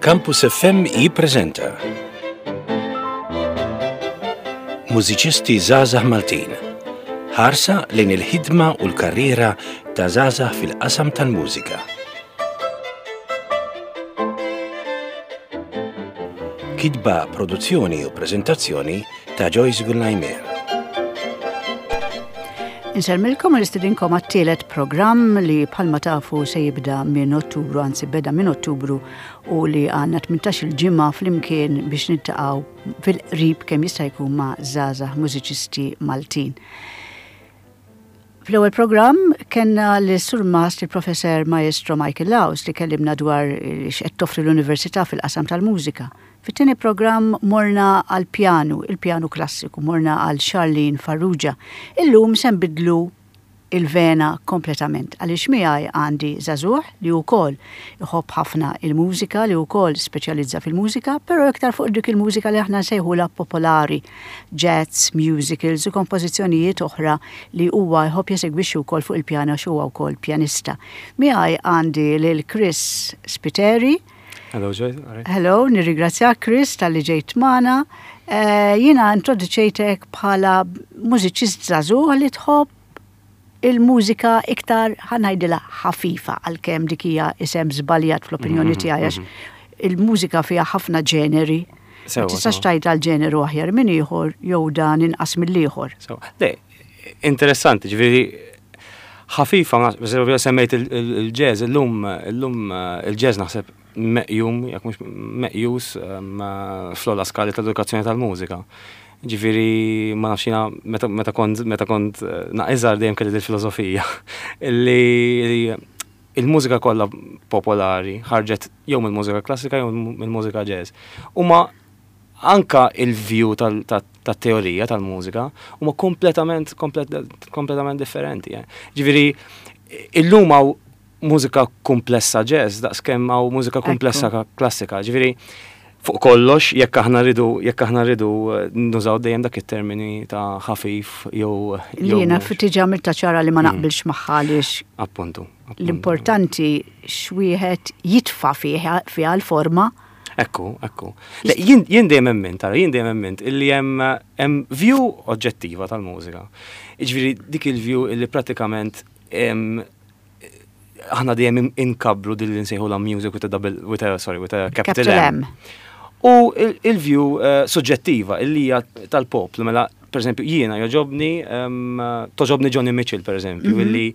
Campus FM jippreżenta Mużiċisti Żgħażagħ Maltin. Ħarsa lejn il-ħidma u l-karriera ta' żgħażagħ fil-qasam tal-mużika. Kitba, produzzjoni u preżentazzjoni ta' Joyce Gullajmer. Insellmilkom u nistedinkom għat-tielet programm li bħalma tafu se jibda minn Ottubru, anzi beda minn Ottubru u li għandna 18 il-ġimgħa flimkien biex niltaqgħu fil-qrib kemm jista' jkun ma' żgħażagħ mużiċisti Maltin. Fl-ewwel programm kellna lis-Surmast il-Professor Maestro Michael Laus li kellimna dwar x'qed toffri l-Università fil-qasam tal-mużika. Fit-tieni programm morna għall-pjanu, il-pjanu klassiku, morna għal Charlene Farrugia. Illum se nbiddlu il-vena kompletament għaliex miegħi għandi żagħżugħ li wkoll iħobb ħafna il-mużika, li wkoll speċjalizza fil-mużika, però iktar fuq dik il-mużika li aħna nsejħulha popolari, jazz, musicals u kompożizzjonijiet oħra li huwa jħobb jesegwixxi wkoll fuq il-pjanu għax huwa wkoll pjanista. Miegħi għandi lil Chris Spiteri. Hello Joy. Right. Hello, nirringrazzjak Chris talli ġejt magħna. Eh, jiena introduċejtek bħala mużiċist żagħżugħ li tħobb il-mużika iktar ħa ngħidilha ħafifa għalkemm dik hija isem żbaljat fl-opinjoni mhm, tiegħi għax mhm. il-mużika fiha ħafna ġeneri. Ma tistax tgħid għal ġeneru aħjar minn ieħor jew dan inqas mill-ieħor. Le, interessanti, ġifieri ħafifa, semmejt il-jazz, illum illum il-jazz naħseb meqjum, jekk mhux meqjus fl-ogħla skali tal-edukazzjoni tal-mużika. Ġifieri ma nafx jiena meta kont meta kont eh, naqiżar dejjem kelli il-filosofija li il-mużika kollha popolari ħarġet jew mill-mużika klassika jew mill-mużika jazz. Huma anka il-view tat-teorija tal-mużika huma kompletament kompletament differenti. Eh. Ġifieri illum hawn mużika kumplessa jazz daqskemm hawn mużika kumplessa klassika. Ġifieri fuq kollox jekk aħna rridu jekk aħna rridu eh, nużaw dejjem dak it-termini ta' ħafif jew Li jiena diġà għamiltha ċara li ma mm. naqbilx magħha għaliex. Appuntu. L-importanti x'wieħed jitfa' fiha l-forma. Ekku, ekku. Jien dejjem emmint, tara, jien dejjem emmint illi hemm view oġġettiva tal-mużika. Jiġifieri dik il-view illi pratikament aħna dejjem inkabbru din li nsejħu music with a double with a sorry with a capital M. U il-view eh, suġġettiva illi hija tal-poplu mela per eżempju jiena joġobni toġobni Johnny Mitchell per eżempju mhm. illi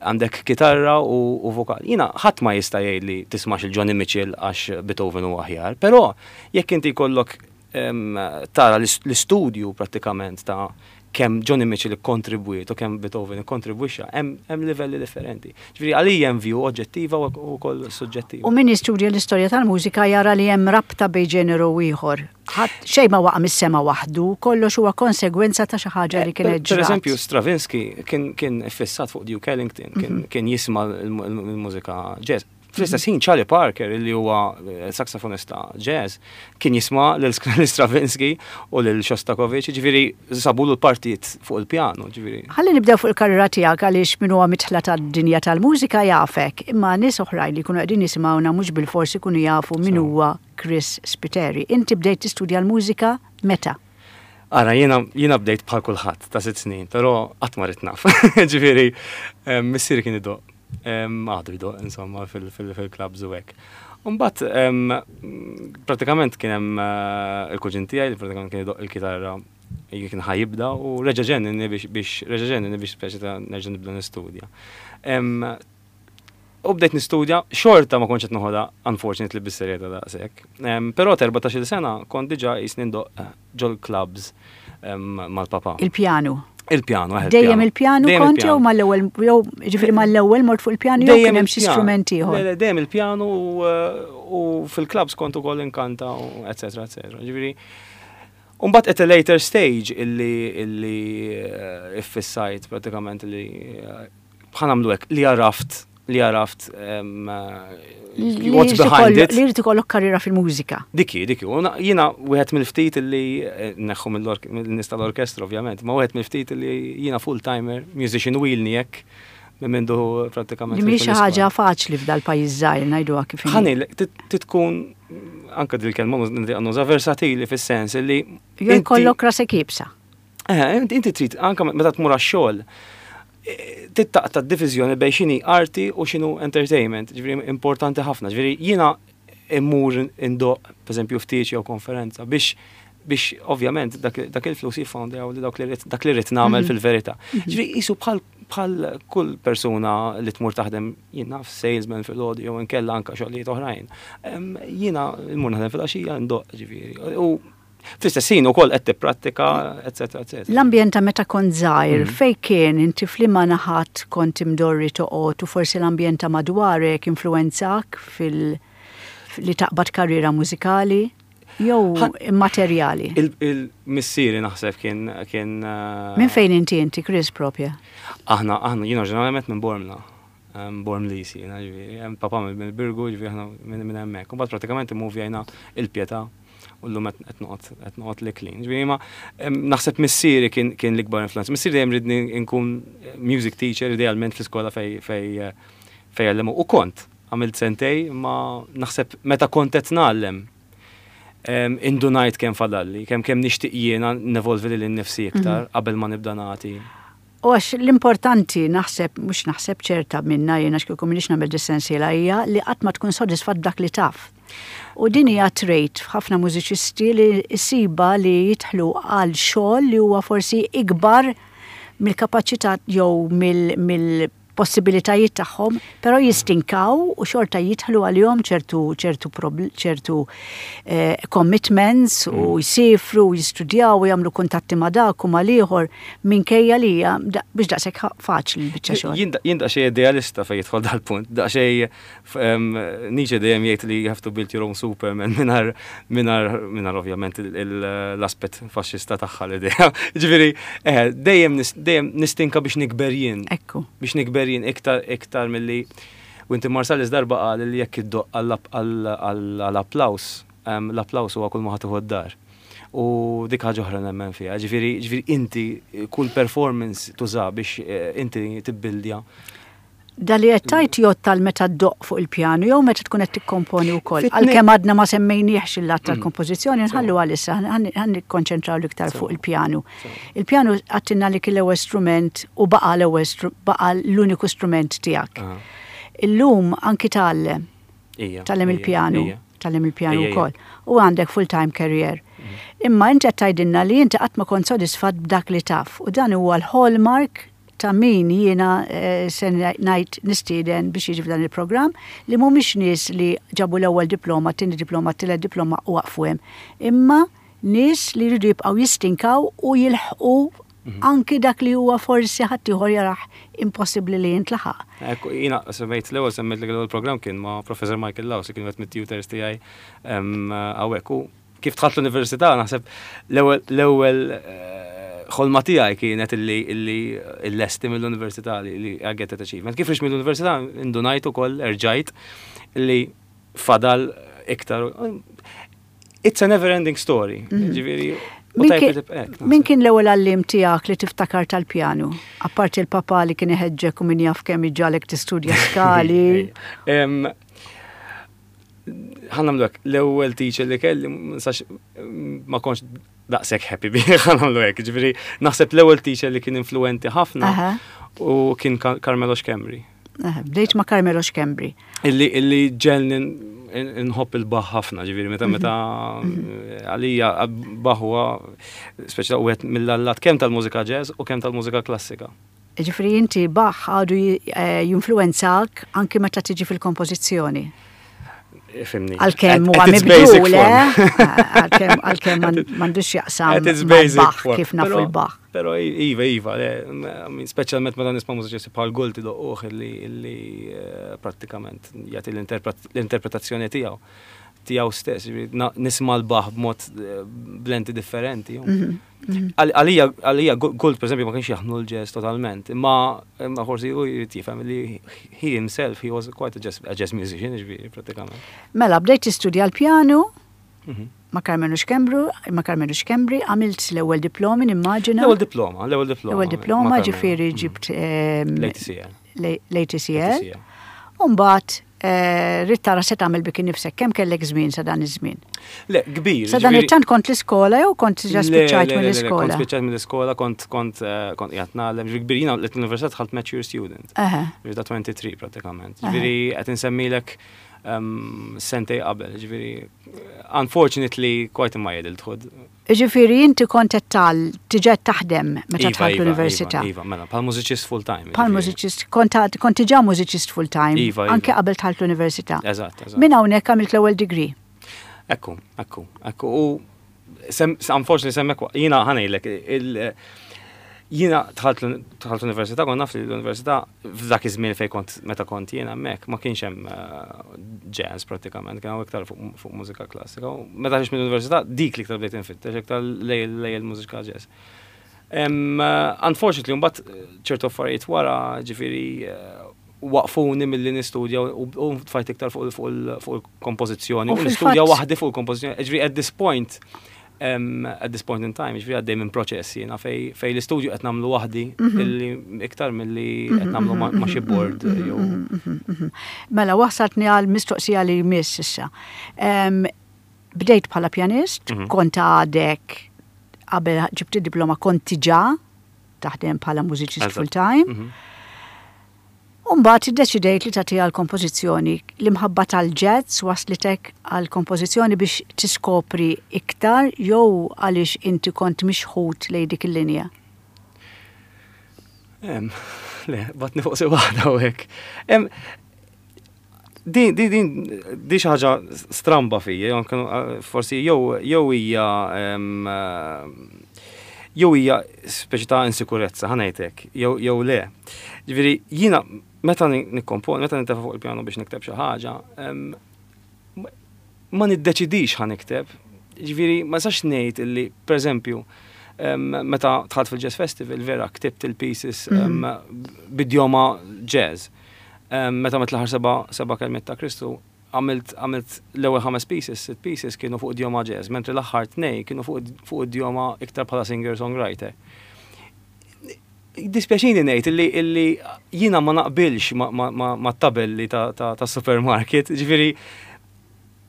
għandek kitarra u vokal. Jiena ħadd ma jista' jgħidli tismax il-Johnny Mitchell għax Beethoven huwa aħjar, però jekk inti jkollok tara l-istudju prattikament ta' kemm Johnny Mitchell ikkontribwiet u kemm Beethoven ikkontribwixxa, hemm livelli differenti. Ġifieri għalija hemm view oġġettiva u wkoll suġġettiva. U min jistudja l-istorja tal-mużika jara li hemm rabta bejn ġeneru u ieħor. Ħadd xejn ma waqa' mis-sema waħdu, kollox huwa konsegwenza ta' xi ħaġa li kienet ġrat. Per eżempju, Stravinsky kien iffissat fuq Duke Ellington, kien jisma' l-mużika jazz. Fl-istess ħin Charlie Parker li huwa eh, saksofonista jazz kien jisma' lil Stravinsky u lil Shostakovich, ġifieri sabulu l-partijiet fuq il-pjanu, ġifieri. Ħalli nibdew fuq il-karriera tiegħek għaliex min huwa midħla tad-dinja tal-mużika jafek, imma nies oħrajn li jkunu qegħdin jisimgħuna mhux bilfors ikunu jafu min huwa Chris Spiteri. Inti bdejt tistudja l-mużika meta? Ara, jiena jiena bdejt bħal kulħadd ta' sitt snin, però qatt ma ridt naf. Ġifieri, eh, missieri kien idoq Għadu jdoq, insomma, fil-clubs u hekk. Umbat, pratikament kien hemm eh, il-kuġin tiegħi li pratikament kien idoq il-kitarra kien ħajibda u reġa' ġenninni biex reġa' ġenninni biex speċi ta' nerġa' nibda nistudja. U bdejt nistudja, xorta ma kontx qed noħodha unfortunately bis-serjetà daqshekk. Però t'14-il sena kont diġà qisni ndoqq eh, ġol-clubs mal-papa. Il-pjanu. Il-pjanu, eh, Dejjem il-pjanu kont jew mal-ewwel jew ġifieri mal-ewwel mort fuq il-pjanu jew kien hemm xi strument ieħor. Dejjem il-pjanu eh, u fil-clubs kont ukoll inkanta u eċetera eċetera. Ġifieri Umbat at a later stage illi illi eh, iffissajt pratikament li Ħa nagħmlu hekk, li għaraft, li għaraft what's behind it. Li jrid ikollok karriera fil-mużika. Diki, diki. Jiena wieħed mill-ftit li eh, neħħu mill-nies tal-orkestra ovvjament, ma wieħed mill-ftit li jiena full-timer, musician u ilni hekk minn mindu pratikament. Li mhix xi ħaġa faċli f'dal-pajjiż żgħir ngħiduha kif. Ħani, titkun. anka dil-kelma nuża versatili fis-sens li. Jew jkollok rasek iebsa. Eh, inti trid anka meta tmur għax-xogħol eh, tittaqta d-diviżjoni bejn x'inhi arti u x'inhu entertainment, ġifieri importanti ħafna. Ġifieri jiena immur indoq, pereżempju ftit jew konferenza biex biex ovvjament dak il-flus jiffondjaw li dak li rrid nagħmel mhm. fil-verità. Mhm. Ġifieri qisu bħal bħal kull persuna li tmur taħdem jien naf salesman fil-għodu jew inkella anka xogħlijiet oħrajn. Jiena mmur naħdem fil-għaxija ndoq ġifieri. U fl-istess ħin ukoll qed tipprattika, eċetera, eċetera. L-ambjent ta' meta kont żgħir, mm. fej kien inti f'liema naħat kont imdorri toqgħod u forsi l-ambjent ta' madwarek influwenzak fil- li taqbad karriera mużikali? Jew immaterjali? Il-missieri naħseb kien kien. Eh, minn fejn inti inti Chris propja? Aħna aħna jiena ġeneralment minn Bormla. Bormlisi, jiena ġifieri, papa minn Birgu, ġifieri aħna minn hemmhekk. Imbagħad pratikament immuvjajna il-Pietà u llum qed noqgħod qed noqgħod l-Iklin. Ġifieri ma naħseb missieri kien kien l-ikbar influenza. Missieri dejjem ridni nkun music teacher idealment fl-iskola fej fej fej għallemu. U kont għamilt sentej ma naħseb meta kont qed ngħallem indunajt kemm fadalli, kemm kemm nixtieq jiena nevolvi lili nnifsi iktar mhm. qabel ma nibda nagħti. U għax l-importanti naħseb, mhux naħseb ċerta minna jiena x'kieku m'iniex nagħmel dis-sensiela hija li qatt ma tkun sodisfatt b'dak li taf. U din hija trait f'ħafna mużiċisti li ssiba li jidħlu għal xogħol li huwa forsi ikbar mill-kapaċità jew mill possibilitajiet tagħhom, però jistinkaw u xorta jidħlu għalihom ċertu ċertu ċertu eh, commitments u mm. jsifru u jistudjaw u jagħmlu kuntatti ma' dak u mal-ieħor minkejja li hija biex daqshekk faċli l-biċċa xogħol. Jien daqsxejn idealista fejn jidħol dal-punt, daqsxejn Nietzsche dejjem jgħid li you have to build your own Superman mingħajr mingħajr mingħajr ovvjament l-aspett faxxista tagħha l-idea. Ġifieri, eh, dejjem dejjem nistinka biex nikber jien. Ekku. Biex nikber jien iktar iktar milli Wynton Marsalis darba qal li jekk iddoqq għall-applaws, l-applaws huwa kull ma ħa tieħu d-dar. U dik ħaġa oħra nemmen fiha. Ġifieri, ġifieri inti kull performance tuża biex eh, inti tibbildja Da li qed tgħid jgħodd għal meta ddoqq fuq il-pjanu jew meta tkun qed tikkomponi wkoll. Għalkemm għadna ma semmejniehx il-lat tal-kompożizzjoni nħallu għalissa ħa nikkonċentraw l-iktar fuq il-pjanu. Il-pjanu għadtilna li kien l-ewwel strument u baqa' l-ewwel baqa' l-uniku strument tiegħek. Illum anki tgħallem. Tgħallem il-pjanu. Tgħallem il-pjanu wkoll. U għandek full-time career. Imma inti qed tgħidilna li inti qatt ma kont sodisfatt b'dak li taf u dan huwa l-hallmark ta' min jiena se ngħid nistieden biex jiġi f'dan il-programm li mhumiex nies li ġabu l-ewwel diploma, t-tieni diploma, t-tielet diploma u waqfu hemm. Imma nies li jridu jibqgħu jistinkaw u jilħqu mhm. anki dak li huwa forsi ħaddieħor jarah impossibbli li jintlaħaq. Ekku, jiena semmejt l-ewwel semmejt li l-ewwel programm kien ma' Professor Michael Laws li kien wieħed mit-tutors tiegħi hawnhekk u Kif dħalt l-università naħseb l-ewwel eh, ħolma tiegħi kienet illi illi llesti mill-università li I get that achievement. Kif rix mill-università indunajt ukoll erġajt li fadal iktar. It's a never ending story. Mhm. Ġifieri, Min kien l-ewwel għallim tiegħek li tiftakar tal-pjanu? Apparti l-papa li kien iħeġġek u min jaf kemm iġġalek tistudja skali. Ħa nagħmlu hekk, l-ewwel teacher li kelli ma kontx daqshekk happy bih, ħa nagħmlu hekk. Ġifieri naħseb l-ewwel teacher li kien influenti ħafna u kien Carmelo Schembri. Bdejt ma' Carmelo Schembri. Illi illi ġelni nħobb il-Bach ħafna, ġifieri meta meta mhm. għalija Bach huwa speċi wieħed mill-allat kemm tal-mużika jazz u kemm tal-mużika klassika. Jiġifieri inti Bach għadu eh, jinfluwenzak anki meta tiġi fil-kompożizzjoni. Fimni. Għalkemm huwa mibdul, eh? Għalkemm m'għandux jaqsam Bach kif nafu l-Bach. Però iva, iva, speċjalment meta nisma' mużiċisti bħal Gould idoqquh illi eh, prattikament jagħti l-interpretazzjoni tiegħu tiegħu stess, nisma' l-Bach b'mod eh, blenti differenti. Mhm. Għalija, għalija, Gould, per esempio, ma kienx jaħnu l-jazz totalment, imma imma forsi u jrid jifhem li he himself, he was quite a jazz, a jazz musician, ġifieri, pratikament. Mela, bdejt tistudja l-pjanu mhm. ma' Karmenu Schembru, ma' Karmenu Schembri, għamilt l-ewwel diplomi, nimmaġina. L-ewwel diploma, l-ewwel diploma. L-ewwel diploma, ġifieri mhm. ġibt ehm, l-ATCL. L-ATCL. Umbagħad. Ridt tara se tagħmel bik innifsek, kemm kellek żmien sa dan iż-żmien? Le, kbir. Sa dan it-tant kont l-iskola jew kont ġa spiċċajt mill-iskola? Kont spiċċajt mill-iskola, kont kont eh, kont qiegħed nagħlem, ġifieri kbir jiena l-università dħalt mature student. Ġifieri ta' 23 pratikament. Ġifieri qed insemmilek ehm, sentej qabel, ġifieri unfortunately quite in my adulthood. Jiġifieri inti kont qed tgħall diġà qed taħdem meta dħalt Iva, l-università. Iva, iva, mela, bħal mużiċist full time. Bħal mużiċist, kont kont diġà mużiċist full time. Iva, iva. Anke qabel dħalt l-università. Eżatt, eżatt. Minn hawnhekk għamilt l-ewwel degree. Ekku, ekku, ekku. U unfortunately semmek jiena ħanejlek il jiena dħalt l-università, kont naf li l-università f'dak iż-żmien fejn kont meta kont jien hemmhekk ma kienx hemm eh, jazz prattikament, kien hawn iktar fuq mużika klassika. U meta ħriġt mill-università dik li iktar bdejt infittex iktar lej il-mużika jazz. Eh, unfortunately, mbagħad eh, ċertu affarijiet wara, ġifieri waqfuni milli nistudja u tfajt iktar fuq il-kompożizzjoni u nistudja waħdi fuq il-kompożizzjoni. Ġifieri at this point at this point in time, ġifieri għaddej minn proċess jiena fej l-istudju qed nagħmlu waħdi mhm. illi iktar milli qed nagħmlu ma' xi mhm, board mhm, jew. Mela wasaltni għal mistoqsija li jmiss issa. Bdejt bħala pjanist, kont għadek qabel ġibt id-diploma kont diġà taħdem bħala mużiċist full time. U mbagħad iddeċidejt li tagħtiha l-kompożizzjoni. L-imħabba tal-jazz wasslitek għall-kompożizzjoni biex tiskopri iktar jew għaliex inti kont mixħut lejn dik il-linja? Le, batni fuq si waħda u hekk. Din, din, din, di xi ħaġa stramba fija, forsi jew jew hija jew hija speċi ta' insikurezza, ħa ngħid hekk, jew jew le. Ġifieri jiena meta nikkomponi, meta nintefa' fuq il-pjanu biex nikteb xi ħaġa, ma niddeċidix ħa nikteb. Ġifieri ma nistax ngħid illi, pereżempju, meta dħalt fil-Jazz Festival vera ktibt il-pieces b'idjoma jazz. Meta għamilt l-aħħar seba' seba' kelmiet ta' Kristu, Għamilt għamilt l-ewwel ħames pieces, sitt pieces kienu fuq idjoma jazz, mentri l-aħħar tnej kienu fuq fuq idjoma iktar bħala singer-songwriter. Jiddispjaċini ngħid illi illi jiena ma naqbilx mat-tabelli ta' ta' tas-supermarket, ġifieri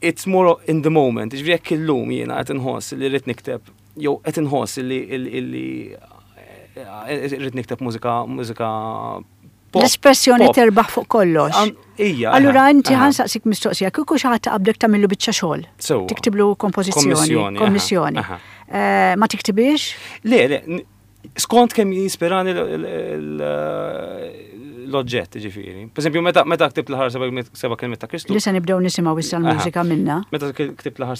it's more in the moment, ġifieri jekk illum jiena qed inħoss li rrid nikteb jew qed inħoss illi illi rrid nikteb mużika mużika L-espressjoni terbaħ fuq kollox. Ija. Allura inti ħansaqsik mistoqsija, kieku xi ħadd taqabdek tagħmillu biċċa xogħol. Tiktiblu kompożizzjoni. Kommissjoni. Eh, ma tiktibix? Le, le, skont kemm jispirani l-oġġett, ġifieri. Per esempio, meta meta ktibt l-ħar seba' kelmiet ta' Kristu. Li se nibdew nisimgħu issa l-mużika minna. Meta ktibt l-aħħar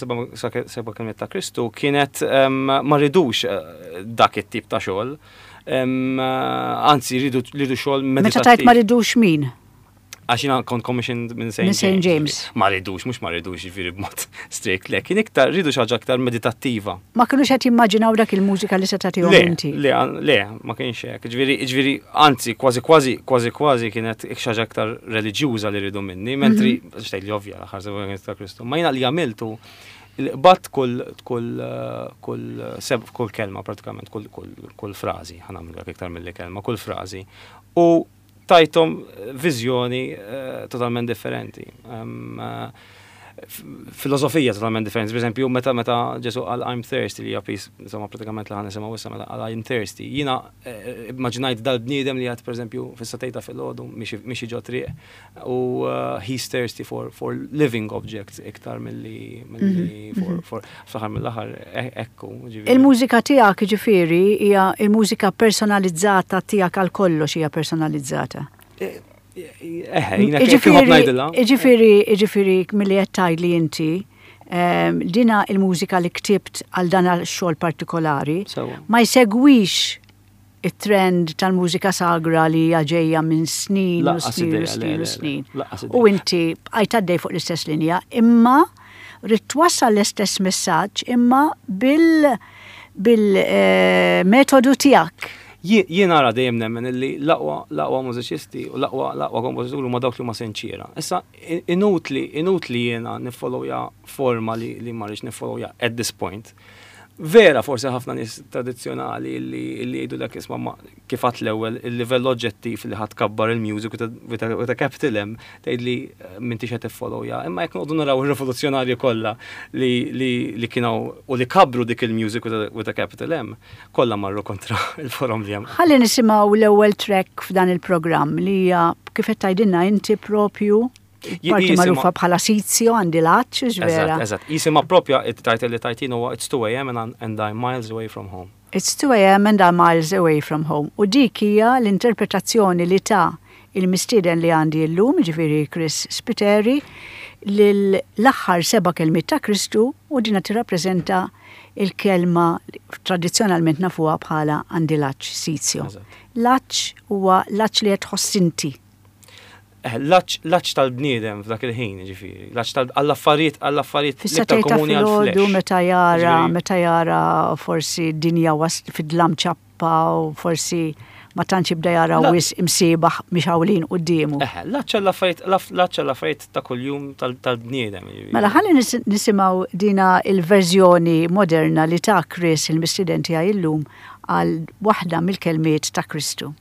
seba' kelmiet ta' Kristu kienet ma ridux eh, dak it-tip ta' xogħol. Anzi, rridu rridu xogħol Meta tajt ma ridux min? Għax jiena kont commissioned minn St. St. James. Ma ridux, mhux ma ridux jiġifieri b'mod strict, le, kien iktar rridu xi ħaġa iktar meditattiva. Ma kinux qed jimmaġinaw dak il-mużika li se tagħtihom inti. Le, le, ma kienx hekk. Ġifieri, ġifieri, anzi, kważi kważi, kważi kważi kienet xi ħaġa iktar reliġjuża li rridu minni, mentri, mhm. xtejt li ovvja l-aħħar ta' Kristu. Ma jiena li għamiltu Qbadt kull kull kull seb kull kelma pratikament kull kull kull frażi, ħa nagħmlu iktar milli kelma, kull frażi. U tajthom viżjoni totalment differenti. Filosofija totalment differenti. Per eżempju, meta meta Ġesu qal I'm thirsty li hija piece, insomma pratikament li ħa nisimgħu issa meta qal I'm thirsty. Jiena immaġinajt dal-bniedem li qed pereżempju fis-satejta filgħodu miexi ġo triq U uh, he's thirsty for, for living objects iktar milli milli mhm, for, mhm. for fl-aħħar mill-aħħar e, ekku. Il-mużika tiegħek ġifieri hija il-mużika personalizzata tiegħek għal kollox hija personalizzata. E, eħe, jiena kif ngħidilha. Ġifieri, ġifieri milli qed tgħidli inti, ehm, dina il-mużika li ktibt għal dan għal xogħol partikolari ma jsegwix it-trend tal-mużika sagra li hija ġejja minn snin u snin u snin u snin. U inti bqajt għaddej fuq l-istess linja, imma rrid twassal l-istess messaġġ imma bil bil-metodu eh, tiegħek. Jien ara dejjem nemmen illi l-aqwa l-aqwa mużiċisti u l-aqwa l-aqwa kompożituri huma dawk li huma sinċiera. Issa inutli inutli jiena niffollowja forma li, li ma rridx niffollowja at this point. Vera forsi ħafna nies tradizzjonali li jgħidulek isma' ma kif għadt l-ewwel il-livell oġġettiv li ħa tkabbar il-music with a, with a capital M tgħidli eh, m'intix qed tiffollowja. Imma jekk noqogħdu naraw ir-rivoluzzjonarji kollha li, li, li kienu u li kabru dik il-music with a, with a capital M, kollha marru kontra il-forom li hemm. Ħalli nisimgħu l-ewwel track f'dan il-programm li hija kif qed tgħidilna inti propju Parti magħrufa bħala Sizio għandi l-għatx, vera. Eżatt, jisimha propja it-title li tajtin huwa It's 2 AM and I'm miles away from home. It's 2 AM and I'm miles away from home. U dik hija l-interpretazzjoni li ta il-mistieden li għandi llum, ġifieri Chris Spiteri, l-aħħar seba' kelmiet ta' Kristu u dina tirrappreżenta il-kelma tradizzjonalment nafuha bħala għandi l-għatx Sizio. L-għatx huwa l-għatx li qed tħoss inti. Eh, l-għatx tal-bniedem f'dak il-ħin, ġifieri, l-għatx għall-affarijiet għall-affarijiet l-iktar komuni għall-flex. Meta jara, meta jara forsi dinja fid-dlam ċappa u forsi ma tantx jibda jara wis imsiebaħ mixawlin quddiemu. Eh, l-għatx għall-affarijiet l-għatx għall-affarijiet ta' kuljum tal-bniedem. Mela ħalli nisimgħu dina il-verżjoni moderna li ta' Chris il-mistieden tiegħi illum għal waħda mill-kelmiet ta' Kristu.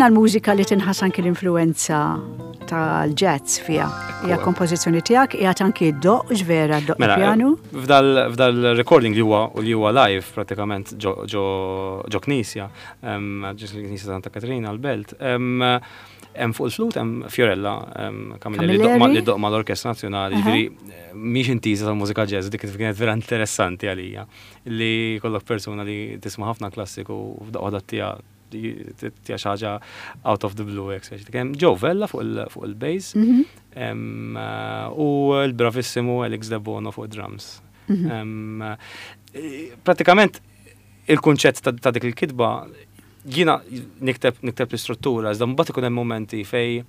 Din għal-mużika li tinħass anki l-influenza tal-jazz fija. Hija kompożizzjoni tiegħek, hija anki d-doq, ġvera d-doq mela, pianu. F'dal recording li huwa li huwa live pratikament ġo knisja, ġo knisja Santa Katrina l-Belt, hemm fuq il-flute hemm Fiorella Camilleri li ddoqq mal-Orkestra Nazzjonali, ġifieri mhix intiża tal-mużika jazz, dik kienet vera interessanti għalija li kollok persuna li tisma' ħafna klassiku u f'daqqa waħda tija tija xi ħaġa out of the blue hekk speċi. Hemm Joe Vella fuq il-bass mhm. u l-bravissimu Alex De Bono fuq drums. Mhm. Pratikament il-kunċett ta' dik il-kitba jiena nikteb nikteb l-istruttura, iżda mbagħad ikun hemm momenti fej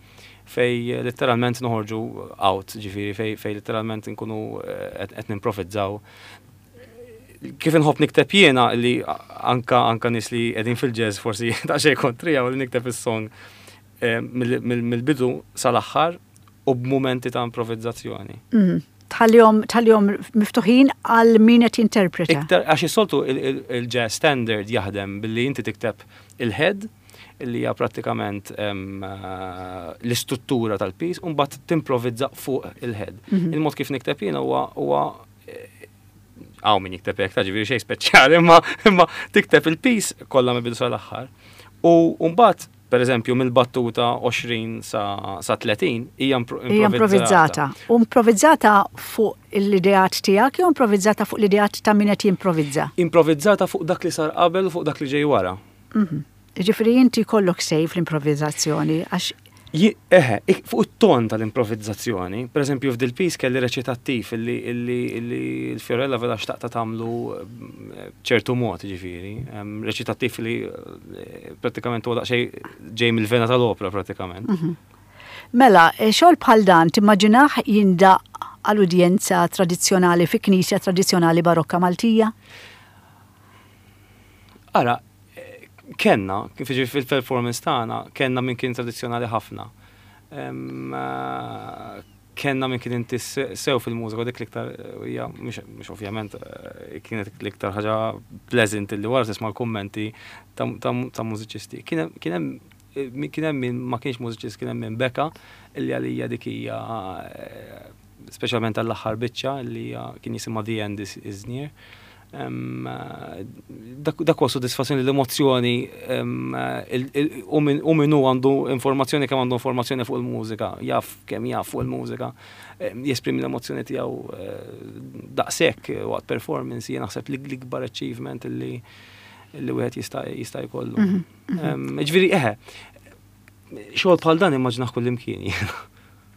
fej letteralment noħorġu out, ġifieri fej fej letteralment nkunu eh, qed nimprovizzaw kif inħobb nikteb jiena li anka anka nies li qegħdin fil-jazz forsi daqsxejn kontrija u li nikteb is-song eh, mill-bidu sal-aħħar u b'mumenti ta' improvizzazzjoni. Mhm. Tħallihom tħallihom miftuħin għal min qed jinterpreta. Iktar għax is-soltu il-jazz standard jaħdem billi inti tikteb il-head li hija prattikament eh, l-istruttura tal-piece u mbagħad timprovizza fuq il-head. Mhm. Il-mod kif nikteb jiena huwa hawn min jikteb hekk ta' ġifieri xejn speċjali, imma imma tikteb il-piece kollha mill-bidu sal-aħħar. U mbagħad per eżempju, mill-battuta 20 sa, sa 30 hija Hija improvvizzata. U improvvizzata fuq l-ideat tiegħek jew improvvizzata fuq l-ideat ta' min qed jimprovizza? Improvvizzata fuq dak li sar qabel u fuq dak li ġej wara. Mhm. Ġifieri inti jkollok say fl-improvvizzazzjoni għax Eħe, fuq it-ton tal-improvizzazzjoni, per eżempju f'dil piece kelli reċitattiv illi l-Fiorella vera xtaqta tagħmlu eh, ċertu mod, ġifieri, reċitattiv li eh, prattikament huwa daqsxejn ġej mill-vena tal-opra prattikament. Mhm. Mela, eh, xogħol bħal dan timmaġinah jindaq għal udjenza tradizzjonali fi knisja tradizzjonali barokka Maltija? Ara, Kenna, kif jiġifieri fil-performance tagħna, kenna min kien tradizzjonali ħafna. Kenna min kien inti sew fil-mużika u dik l-iktar hija mhux ovvjament eh, kienet l-iktar ħaġa pleasant li wara tisma' l-kummenti ta' mużiċisti. Kien hemm kien hemm min ma kienx mużiċist kien hemm min beka illi għalija dik hija eh, speċjalment għall-aħħar biċċa li kien jisimha The End is, is Near. Dak huwa sodisfazzjoni l-emozzjoni u min hu għandu informazzjoni kemm għandu informazzjoni fuq il-mużika, jaf kemm jaf fuq il-mużika, jesprimi l-emozzjoni tiegħu eh, daqshekk waqt performance jien naħseb li l-ikbar achievement li li wieħed jista' jista' jkollu. Mhm, mhm. Ġifieri eħe, xogħol bħal dan immaġnaħ kullimkien jiena.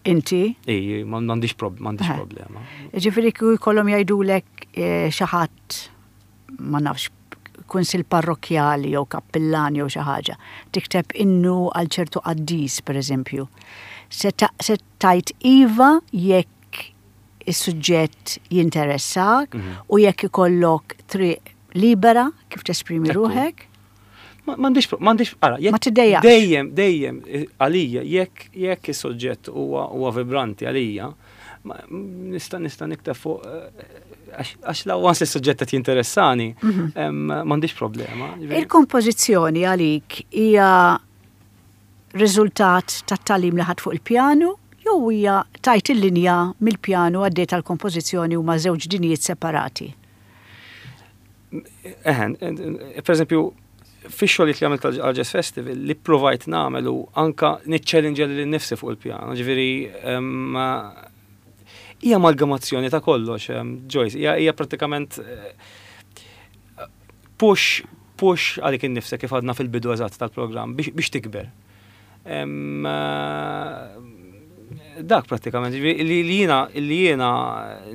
Inti? Ej, m'għandix problema. Ġifieri kieku jkollhom jgħidulek eh, xi ħadd ma nafx kunsil parrokkjali jew kappillan jew xi ħaġa, tikteb innu għal ċertu qaddis pereżempju. Se tajt iva jekk is-suġġett jinteressak mhm. u jekk ikollok triq libera kif tesprimi ruħek? M'għandix, m'għandix, ara, jekk. Ma tiddejjaqx. Dejjem, dejjem, għalija, jekk, jekk is-soġġett huwa huwa vibranti għalija, nista' nista' nikteb fuq eh, għax la once is-suġġett qed jinteressani, mhm. m'għandix problema. Il-kompożizzjoni għalik hija riżultat tat-tagħlim li ħadt fuq il-pjanu jew hija tajt il-linja mill-pjanu għaddejt għall-kompożizzjoni huma żewġ dinjiet separati? Eħen, per eżempju, fix-xogħlijiet li għamilt għal Jazz Festival li provajt nagħmel u anka niċċellinġa lil nifsi fuq il-pjano, ġifieri hija amalgamazzjoni ta' kollox, Joyce, hija prattikament eh, push push għalik innifsek kif għadna fil-bidu eżatt tal-programm biex tikber. Eh, dak prattikament, li jiena li jiena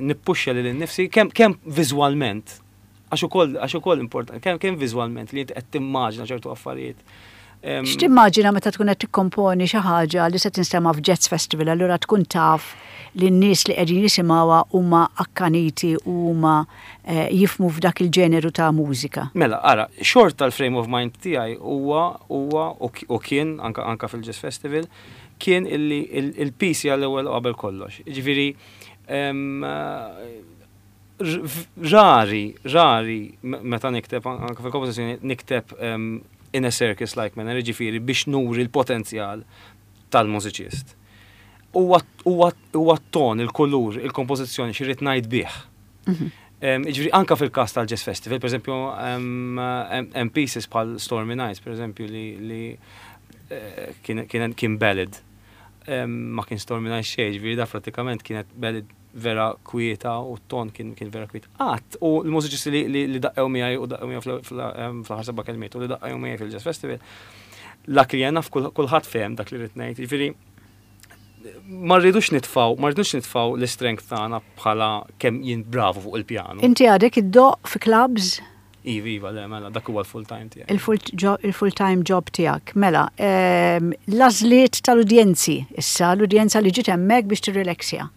nippuxxa lil innifsi kemm kemm viżwalment għax ukoll għax ukoll importanti, kemm kemm viżwalment li inti qed timmaġina ċertu affarijiet. X'timmaġina meta tkun qed tikkomponi xi ħaġa li se tinstema' f'Jazz Festival, allura tkun taf li n-nies li qegħdin jisimgħuha huma akkaniti u huma eh, jifhmu f'dak il-ġeneru ta' mużika. Mela, ara, xorta l-frame of mind tiegħi huwa huwa u kien anka anka fil-Jazz Festival kien illi il-piece hija l-ewwel qabel kollox. Jiġifieri rari, rari meta nikteb anke fil-kompożizzjoni nikteb in a circus like manner, jiġifieri biex nuri l-potenzjal tal-mużiċist. Huwa t-ton, il-kulur, il-kompożizzjoni xi rrid ngħid bih. Mhm. Ġifieri anka fil-każ tal-Jazz Festival, per eżempju, hemm pieces bħal Stormy Nights, per eżempju, li eh, kien ballad. Ma kien Stormy Nights xejn, ġifieri da prattikament kienet ballad vera kwieta u t-ton kien vera kwiet. Qatt, u l-mużiċisti li daqqew miegħi u daqqew miegħi fl-aħħar seba' kelmiet u li daqqew miegħi fil-Jazz Festival, dak li jena kulħadd fehem dak li rrid ngħid. Ġifieri ma rridux nitfaw, ma rridux nitfaw l-strength tagħna bħala kemm jien bravu fuq il-pjanu. Inti għadek iddoqq fi clubs? Iva, iva, le, mela, dak huwa l-full time tiegħi. Il-full time job tiegħek. Mela, ehm, l-għażliet tal-udjenzi, issa l-udjenza li ġiet hemmhekk biex tirrileksja.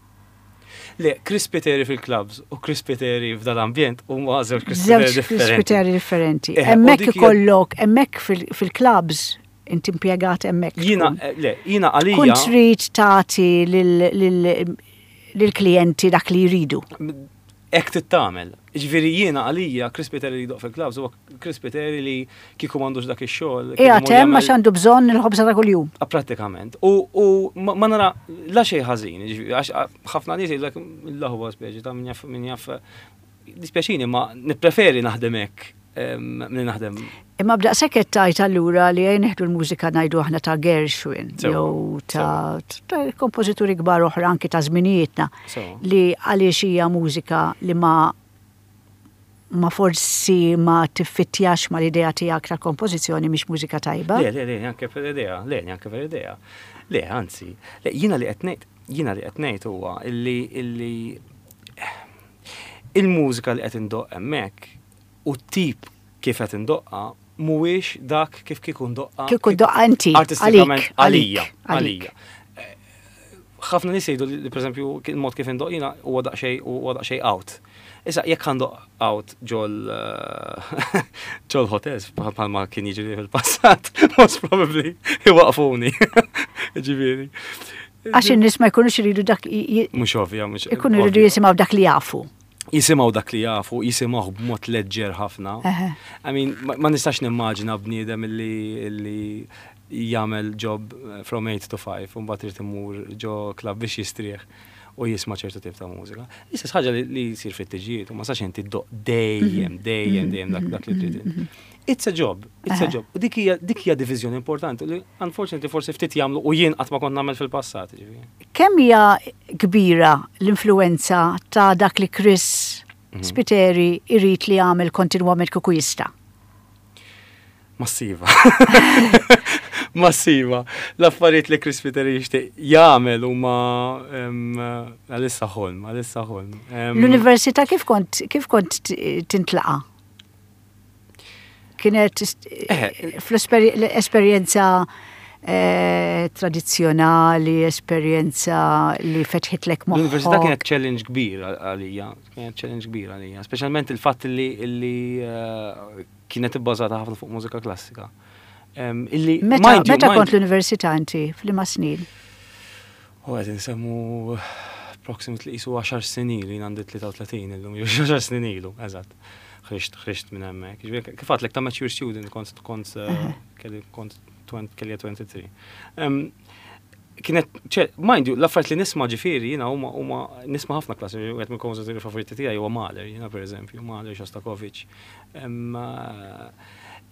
Le, Chris Spiteri fil-clubs u Chris Spiteri f'dal-ambjent huma żewġ Chris Spiteri differenti. Żewġ Chris Spiteri differenti. Eh, hemmhekk ikollok, hemmhekk fil-clubs inti impjegat hemmhekk. Jiena, eh, le, jiena għalija. Kun trid tagħti lill-klijenti dak li jridu. Hekk trid tagħmel. Jiġifieri jiena għalija Chris Spiteri li jdoqq fil-clubs huwa Chris Spiteri li kieku m'għandux dak ix-xogħol. Qiegħed hemm għax għandu bżonn il-ħobża ta' kuljum. Ah, prattikament. U ma nara la xejn ħażin, għax ħafna nies jgħidlek l-aħwa speċi ta' min jaf min jaf dispjaċini ma nippreferi naħdem hekk milli naħdem. Imma b'daqshekk qed tgħid allura li ejja nieħdu l-mużika ngħidu aħna ta' Gershwin jew ta' kompożituri kbar oħra anki ta' żminijietna li għaliex hija mużika li ma ma forsi ma tiffittjax mal-idea tiegħek tal-kompożizzjoni mhix mużika tajba? Le, le, le, neanke per idea, le, neanke per idea. Le, anzi, le, jiena li qed ngħid, jiena li qed ngħid huwa illi illi il-mużika li qed indoqq hemmhekk u t-tip kif qed indoqqa mhuwiex dak kif kieku ndoqqa. Kieku doqqa inti. Artistikament għalija. Għalija. Ħafna nies jgħidu li pereżempju il-mod kif indoq jiena huwa daqsxejn huwa daqsxejn out. Issa jekk għandoq out ġol ġol hotels bħalma kien jiġri fil-passat, most probably iwaqfuni. Ġifieri. Għax in-nies ma jkunux iridu dak. Mhux ovvja, mhux. Ikunu jridu jisimgħu dak li jafu. Jisimgħu dak li jafu, jisimgħu b'mod leġġer ħafna. I mean, ma nistax nimmaġina bniedem illi jagħmel job eh, from 8 to 5 u mbagħad irid imur ġo club biex jistrieħ u jisma' ċertu tip ta' mużika. L-istess ħaġa li jsir fit-tiġijiet u ma sax inti ddoq dejjem, dejjem, dejjem dak dak li trid. Mhm. It's a job, it's a job. U dik hija dik hija diviżjoni importanti li unfortunately forsi ftit jagħmlu u jien qatt ma kont nagħmel fil-passat. Kemm hija kbira l-influenza ta' dak li Chris mhm. Spiteri irid li jagħmel kontinwament kieku jista'? Massiva. Massiva. L-affarijiet li Chris Spiteri jixtieq jagħmel huma għalissa ħolm, għalissa ħolm. L-università kif kont kif kont tintlaqa? Kienet eh. fl-esperjenza eh, tradizzjonali, esperjenza li fetħitlek moħħok. L-università kienet challenge kbir għalija, kienet challenge kbir għalija, speċjalment il-fatt li eh, kienet ibbażata ħafna fuq mużika klassika. Illi meta kont l-università inti f'liema snin? U qed insemmu approximately qisu 10 snin ilu, jien għandi 33 illum, jew 10 snin ilu, eżatt. Ħriġt ħriġt minn hemmhekk. Ġifieri kif għadlek ta' mature student kont kont kelli kont kelli 23. Kienet, ċe, mind you, l-affarijiet li nisma' ġifieri jiena huma huma nisma' ħafna klassi, wieħed mill-kompożituri favoriti tiegħi huwa Mahler, jiena pereżempju, Mahler, Shostakovich.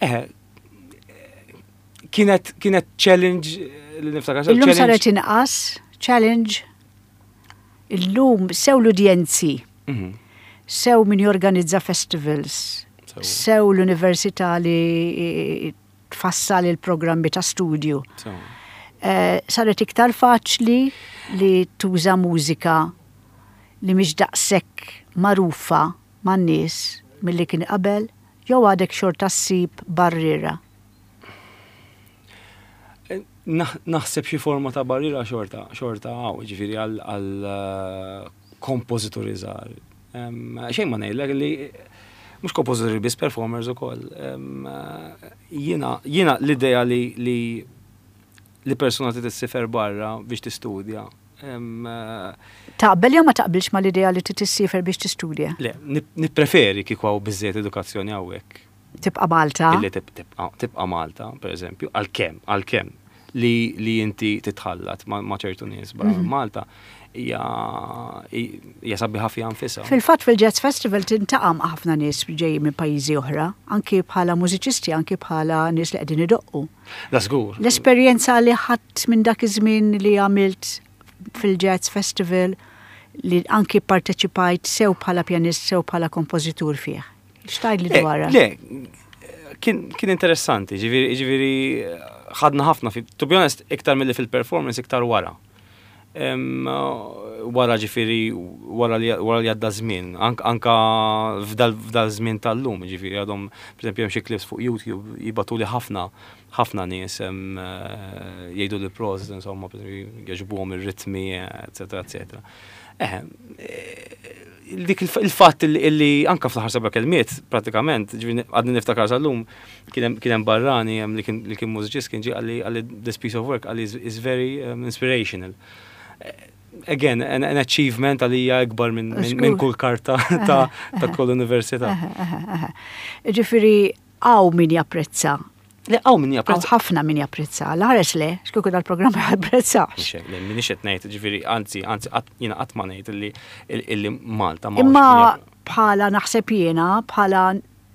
Eh, kienet kienet challenge li niftakar. Illum saret inqas challenge. Illum sew l-udjenzi, mhm. sew min jorganizza festivals, sew l-università li tfassal il-programmi ta' studju. Eh, saret iktar faċli li tuża mużika li mhix daqshekk magħrufa man-nies milli kien qabel jew għadek xorta ssib barriera? Naħseb xi forma ta' barriera xorta, xorta hawn, ġifieri għal eh, kompożituri żgħar. Xejn ma ngħidlek li mhux kompożituri biss performers ukoll. Jiena jiena l-idea li li li persuna trid issifer barra biex tistudja. Taqbel jew ma taqbilx mal-idea li trid issiefer biex tistudja? Le, nippreferi kieku hawn biżżejjed edukazzjoni hawnhekk. Tibqa' Malta? Illi tibqa' Malta, per eżempju, għalkemm, għalkemm li li inti titħallat ma' ċertu nies barra minn mhm. Malta hija hija sabiħa fiha nfisha. Fil-fatt fil-Jazz Festival tintaqa' ma' ħafna nies ġejjin minn pajjiżi oħra, anki bħala mużiċisti, anki bħala nies li qegħdin idoqqu. Da żgur. L-esperjenza li ħadt minn dak iż-żmien li għamilt fil-Jazz Festival li anki parteċipajt sew bħala pjanist sew bħala kompożitur fih. X'tgħidli eh, dwarha? Le, kien, kien interessanti, ġifieri ġifieri ħadna ħafna, to be honest, iktar milli fil-performance, iktar wara. Wara ġifieri wara li wara li għadda żmien, anka f'dal żmien tal-lum, ġifieri għadhom, pereżempju hemm xi clips fuq YouTube jibatuli ħafna ħafna nies eh, jgħidu li prosit, insomma, jogħġbuhom ir-ritmi, eccetera, eccetera. Eh, dik il-fatt li anka fl-aħħar seba' kelmiet, pratikament, ġifieri għadni niftakar sal-lum, kien hemm barrani li kien mużiċist kien ġie qalli qalli this piece of work qalli is very um, inspirational. Again, an, an achievement għalija ikbar minn min kull karta ta', ta kull università. Ġifieri hawn min japprezza Le, hawn min japprezza. ħafna min japprezza. L-ħares le, x'kieku dal-programm ma japprezzax. Le, minix qed ngħid, ġifieri, anzi, anzi, jiena qatt ma ngħid illi illi Malta ma. Imma bħala naħseb jiena, bħala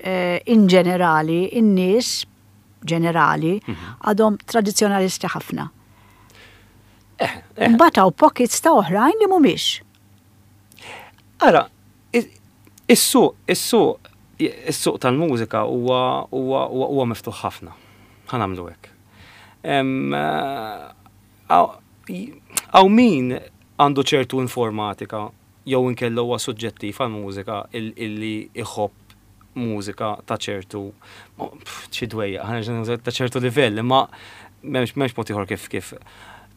eh, in ġenerali, in-nies ġenerali mhm. għadhom tradizzjonalisti ħafna. Eh, eh. Mbagħad hawn pockets ta' oħrajn li mhumiex. Ara, Is-suq, is-suq, is-suq tal-mużika huwa huwa huwa miftuħ ħafna. Ħa nagħmlu hekk. Hawn min għandu ċertu informatika jew inkella huwa suġġettiv għall-mużika illi iħobb mużika ta' ċertu xi dwejjaq, ta' ċertu livell, imma m'hemmx m'hemmx mod ieħor kif kif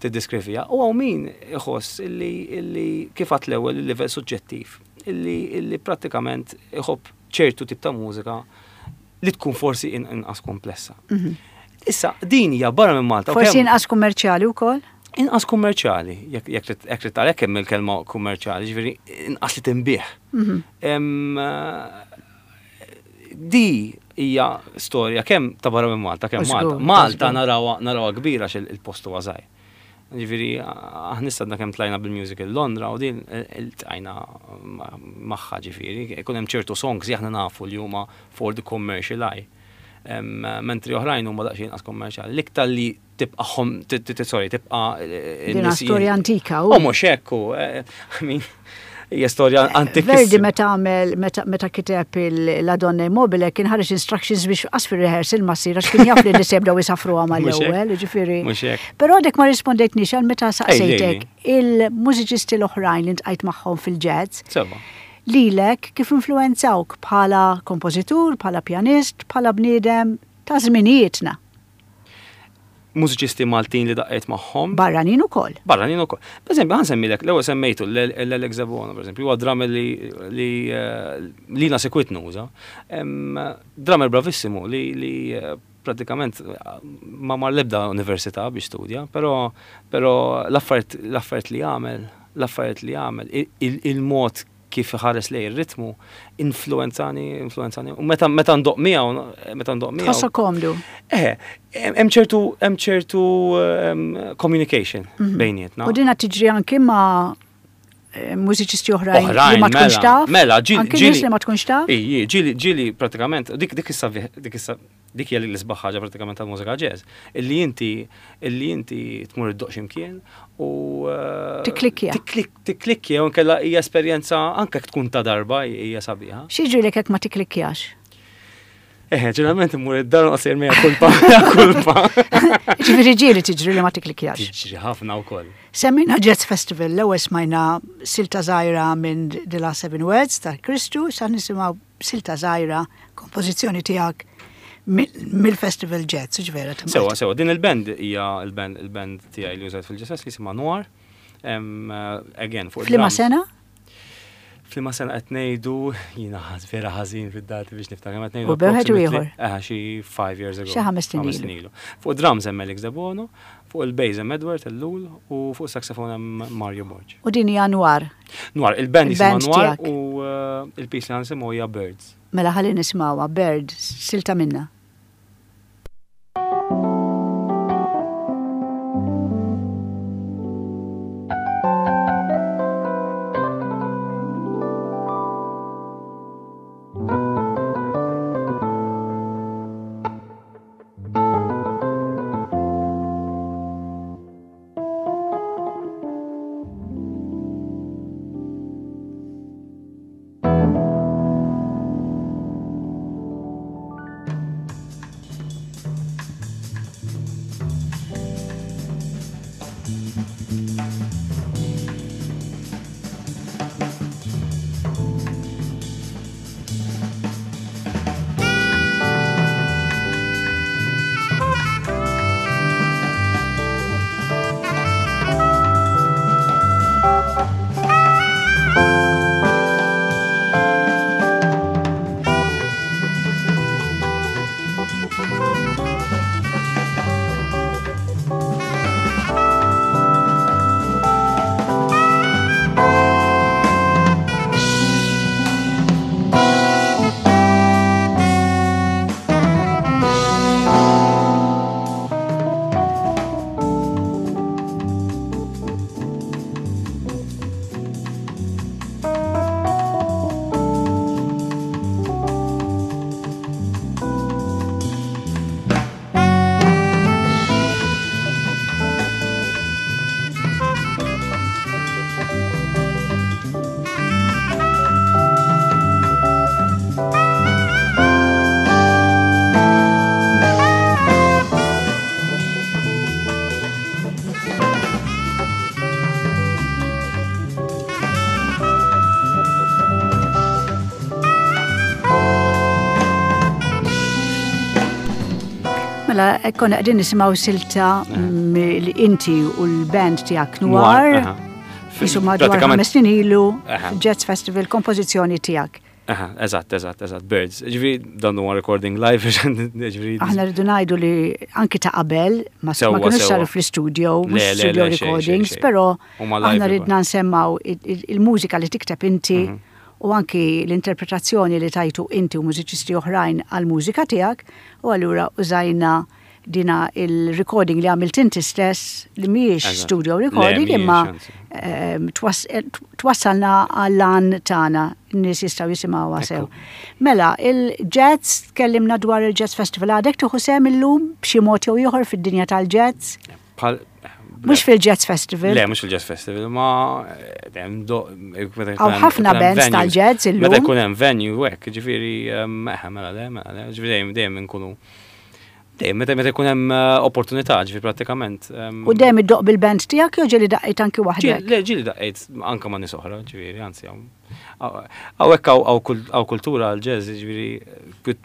tiddiskrivija. U hawn min iħoss illi illi kif għadt l-ewwel il-livell suġġettiv, illi illi prattikament iħobb ċertu tip ta' mużika li tkun forsi inqas komplessa. Mhm. Issa, din hija barra minn Malta. Forsi inqas kummerċjali wkoll? Inqas kummerċjali, jekk trid għalhekk hemm il-kelma kummerċjali, ġifieri inqas li tinbih. Mhm. Di hija storja kemm ta' barra minn Malta, kemm Malta. Malta narawha kbira għax il-post huwa żgħir. Ġifieri aħna issa għadna kemm tlajna bil-musical Londra u din iltqajna magħha ġifieri, ikun hemm ċertu songs li aħna nafu li huma for the commercial eye. Mentri oħrajn huma daqsxejn inqas kommerċjali. L-iktar li tibqa' sorry, tibqa' Din storja antika. U mhux hekk hu. I mean, hija storja antika. Verdi meta għamel, meta kiteb la Donna Immobile kien ħareġ instructions biex qas fir-rehearsal ma ssir għax kien jaf li nies jibdew jisafruha mal-ewwel, jiġifieri. Però għadek ma rispondejtniex għal meta saqsejtek il-mużiċisti l-oħrajn li ntqajt magħhom fil-jazz. Lilek kif influwenzawk bħala kompożitur, bħala pjanist, bħala bniedem ta' żminijietna? mużiċisti Maltin li daqqejt magħhom. Barranin ukoll. Barranin ukoll. Per eżempju, ħa nsemmilek, l-ewwel semmejtu l-Alex Debono, per eżempju, huwa drummer li li eh, li na sekwit nuża. Drummer bravissimu li li eh, pratikament ma mar l-ebda università biex studja, però però l-affarijiet li għamel, l-affarijiet li għamel, il-mod kif iħares lejn ir-ritmu, influenzani, influenzani. U meta meta ndoq miegħu, meta ndoq miegħu. Tħossok komdu. Eh, hemm ċertu hemm ċertu ehm, communication mhm. bejnietna. U dina tiġri anki ma' eh, mużiċisti oħrajn li ma tkunx mela, taf. Mela, ġili. Anki nies li ma tkunx taf. Iji, ġili, ġili pratikament, dik dik issa dik issa Dik hija l-isbaħ ħaġa pratikament tal-mużika jazz, illi inti illi inti tmur iddoqq x'imkien u eh, Tikklikkja. Tikklikkja u nkella hija esperjenza anke jekk tkun ta' darba hija sabiħa. X'jiġrilek jekk ma tikklikkjax? Eh, ġeneralment immur id-dar noqgħod sejjer mija kulpa, kulpa. Ġifieri ġieli tiġri li ma tikklikkjax. Tiġri ħafna wkoll. Semmejna Jazz Festival, l-ewwel smajna silta żgħira minn The Last Seven Words ta' Kristu, sa nisimgħu silta żgħira, kompożizzjoni tiegħek mill-Festival Jazz, ġvera. Sewa, sewa, din il-band hija il-band il-band tiegħi li użajt fil-ġesess li jisimha Noir. Again, fuq Flima sena? Flima sena qed ngħidu jiena vera ħażin fid-dati biex niftakar qed ngħidu. U beħed u ieħor. Eh, xi 5 years ago. Xi ħames snin ilu. Fuq drums hemm Alex Debono, fuq il-bass hemm Edward Ellul u fuq saxophone hemm Mario Borg. U din hija Noir. Noir, il-band jisimha Noir u eh, il-piece li għansimgħu hija Birds. Mela ħalli nismawha Birds, silta minna. Mela, konna qegħdin nisimgħu silta li inti u l-band tiegħek Noir. Isu madwar ħames snin ilu, Jazz Festival, kompożizzjoni tiegħek. Eżatt, eżatt, eżatt, Birds. Ġifieri dan huwa recording live, ġifieri. Aħna rridu ngħidu li anki ta' qabel ma kienux saru fl-istudio, mhux studio recordings, però aħna ridna nsemmaw il-mużika li tikteb inti mhm. u anki l-interpretazzjoni li tajtu inti u mużiċisti oħrajn għall-mużika tiegħek u allura użajna dina il-recording li għamilt inti stess li mhijiex studio recording imma ehm, eh, twassalna għall-għan tagħna n-nies jistgħu jisimgħuha sew. Mela, il-jazz tkellimna dwar il-Jazz Festival għadek tieħu sehem illum b'xi mod jew ieħor fid-dinja tal-jazz? Mux fil-Jazz Festival. Le, mux fil-Jazz Festival, ma. Eh, Għaw ħafna bands tal-jazz illum. Meta jkun hemm venue hekk, ġifieri, eh, mela le, mela le, ġifieri dejjem dejjem inkunu. Dejjem meta meta jkun hemm eh, opportunità, ġifieri prattikament. U dejjem iddoq bil-band tiegħek jew ġieli daqqejt anki waħdek? Le, ġieli daqqejt anke ma' nies oħra, ġifieri, anzi hawnhekk hawn kultura għall-jazz, ġifieri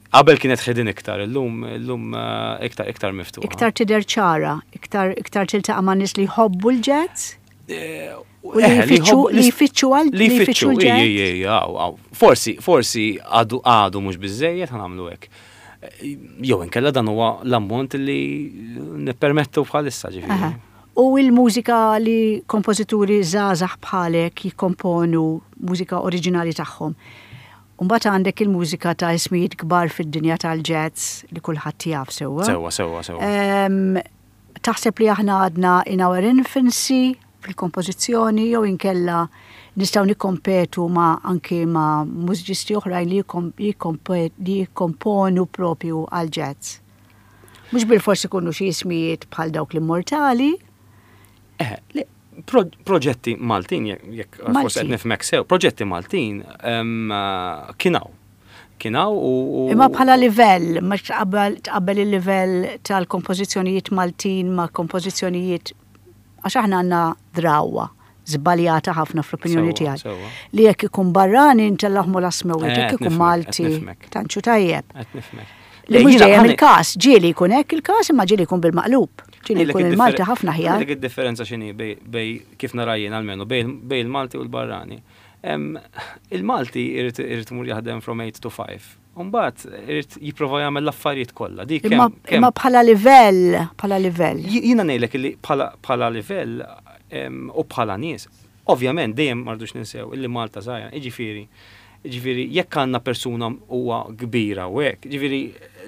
Qabel kienet hidden iktar, illum illum eh, iktar iktar miftuħa. Iktar tidher ċara, iktar iktar tiltaqa' ma' nies li jħobbu l-jazz? Eh, u li eh, jfittxu li jfittxu għal li jfittxu l-jazz. Forsi forsi għadu għadu mhux biżejjed ħanamlu hekk. Jew inkella dan huwa l-ammont li nippermettu bħalissa ġifieri. U l-mużika li kompożituri żgħażagħ bħalek jikkomponu mużika oriġinali tagħhom. U mbagħad għandek il-mużika ta' ismijiet kbar fid-dinja tal-jazz li kulħadd jaf sewwa. Sewwa, sewwa, sewwa. Taħseb li aħna għadna in our infancy fil-kompożizzjoni jew inkella nistgħu nikkompetu ma' anki ma' mużiċisti oħrajn li jikkomponu propju għall-jazz? Mhux bilfors ikunu xi ismijiet bħal dawk l-immortali. Eh, Proġetti Maltin, jekk forsi qed nifhmek sew, proġetti Maltin kien hawn. Kien hawn u. Imma bħala livell, ma tqabbel il-livell tal-kompożizzjonijiet Maltin ma' kompożizzjonijiet għax aħna għandna drawwa żbaljata ħafna fl-opinjoni tiegħi. Li jekk ikun barrani ntellahmu l-asmewit, eh, jekk ikun Malti, tantxu tajjeb. Li mhux dejjem il-każ, ġieli jkun hekk il-każ imma ġieli jkun bil-maqlub. Ġieli jkun il-Malti ħafna aħjar. Dik id-differenza x'inhi bej kif nara jien almenu bej il-Malti u l-barrani. Il-Malti irid imur jaħdem from 8 to 5. Umbagħad irid jipprova jagħmel l-affarijiet kollha. Dik imma bħala livell, bħala livell. Jiena ngħidlek li bħala livell u bħala nies, Ovvjament dejjem ma rridux ninsew illi Malta żgħira, jiġifieri, jiġifieri jekk għandna persuna huwa kbira u hekk, jiġifieri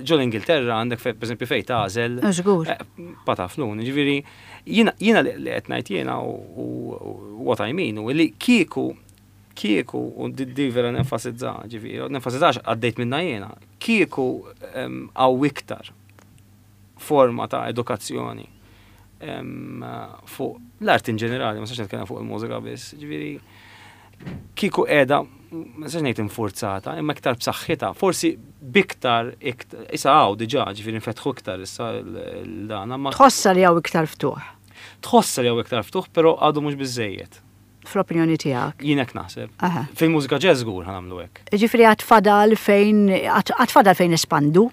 ġo l-Ingilterra għandek pereżempju fejn tagħżel. Żgur. Eh, pataflun, jiġifieri jiena jiena li qed ngħid jiena u what I mean u li kieku kieku u di vera nenfasizza, ġifieri, nenfasizzax għaddejt minna jiena, kieku hawn iktar forma ta' edukazzjoni fuq l-art in ġenerali, ma sax nitkellem fuq il-mużika biss, ġifieri kieku qiegħda ma sax ngħid infurzata, imma iktar b'saħħitha, forsi biktar issa hawn diġà, ġifieri nfetħu iktar issa l-dana. Tħossa li hawn iktar ftuħ. Tħossa li hawn iktar ftuħ, però għadu mhux biżejjed. Fl-opinjoni tiegħek. Jien hekk naħseb. Fil-mużika jazz żgur ħa nagħmlu hekk. Ġifieri għad fadal fejn għad fadal fejn espandu.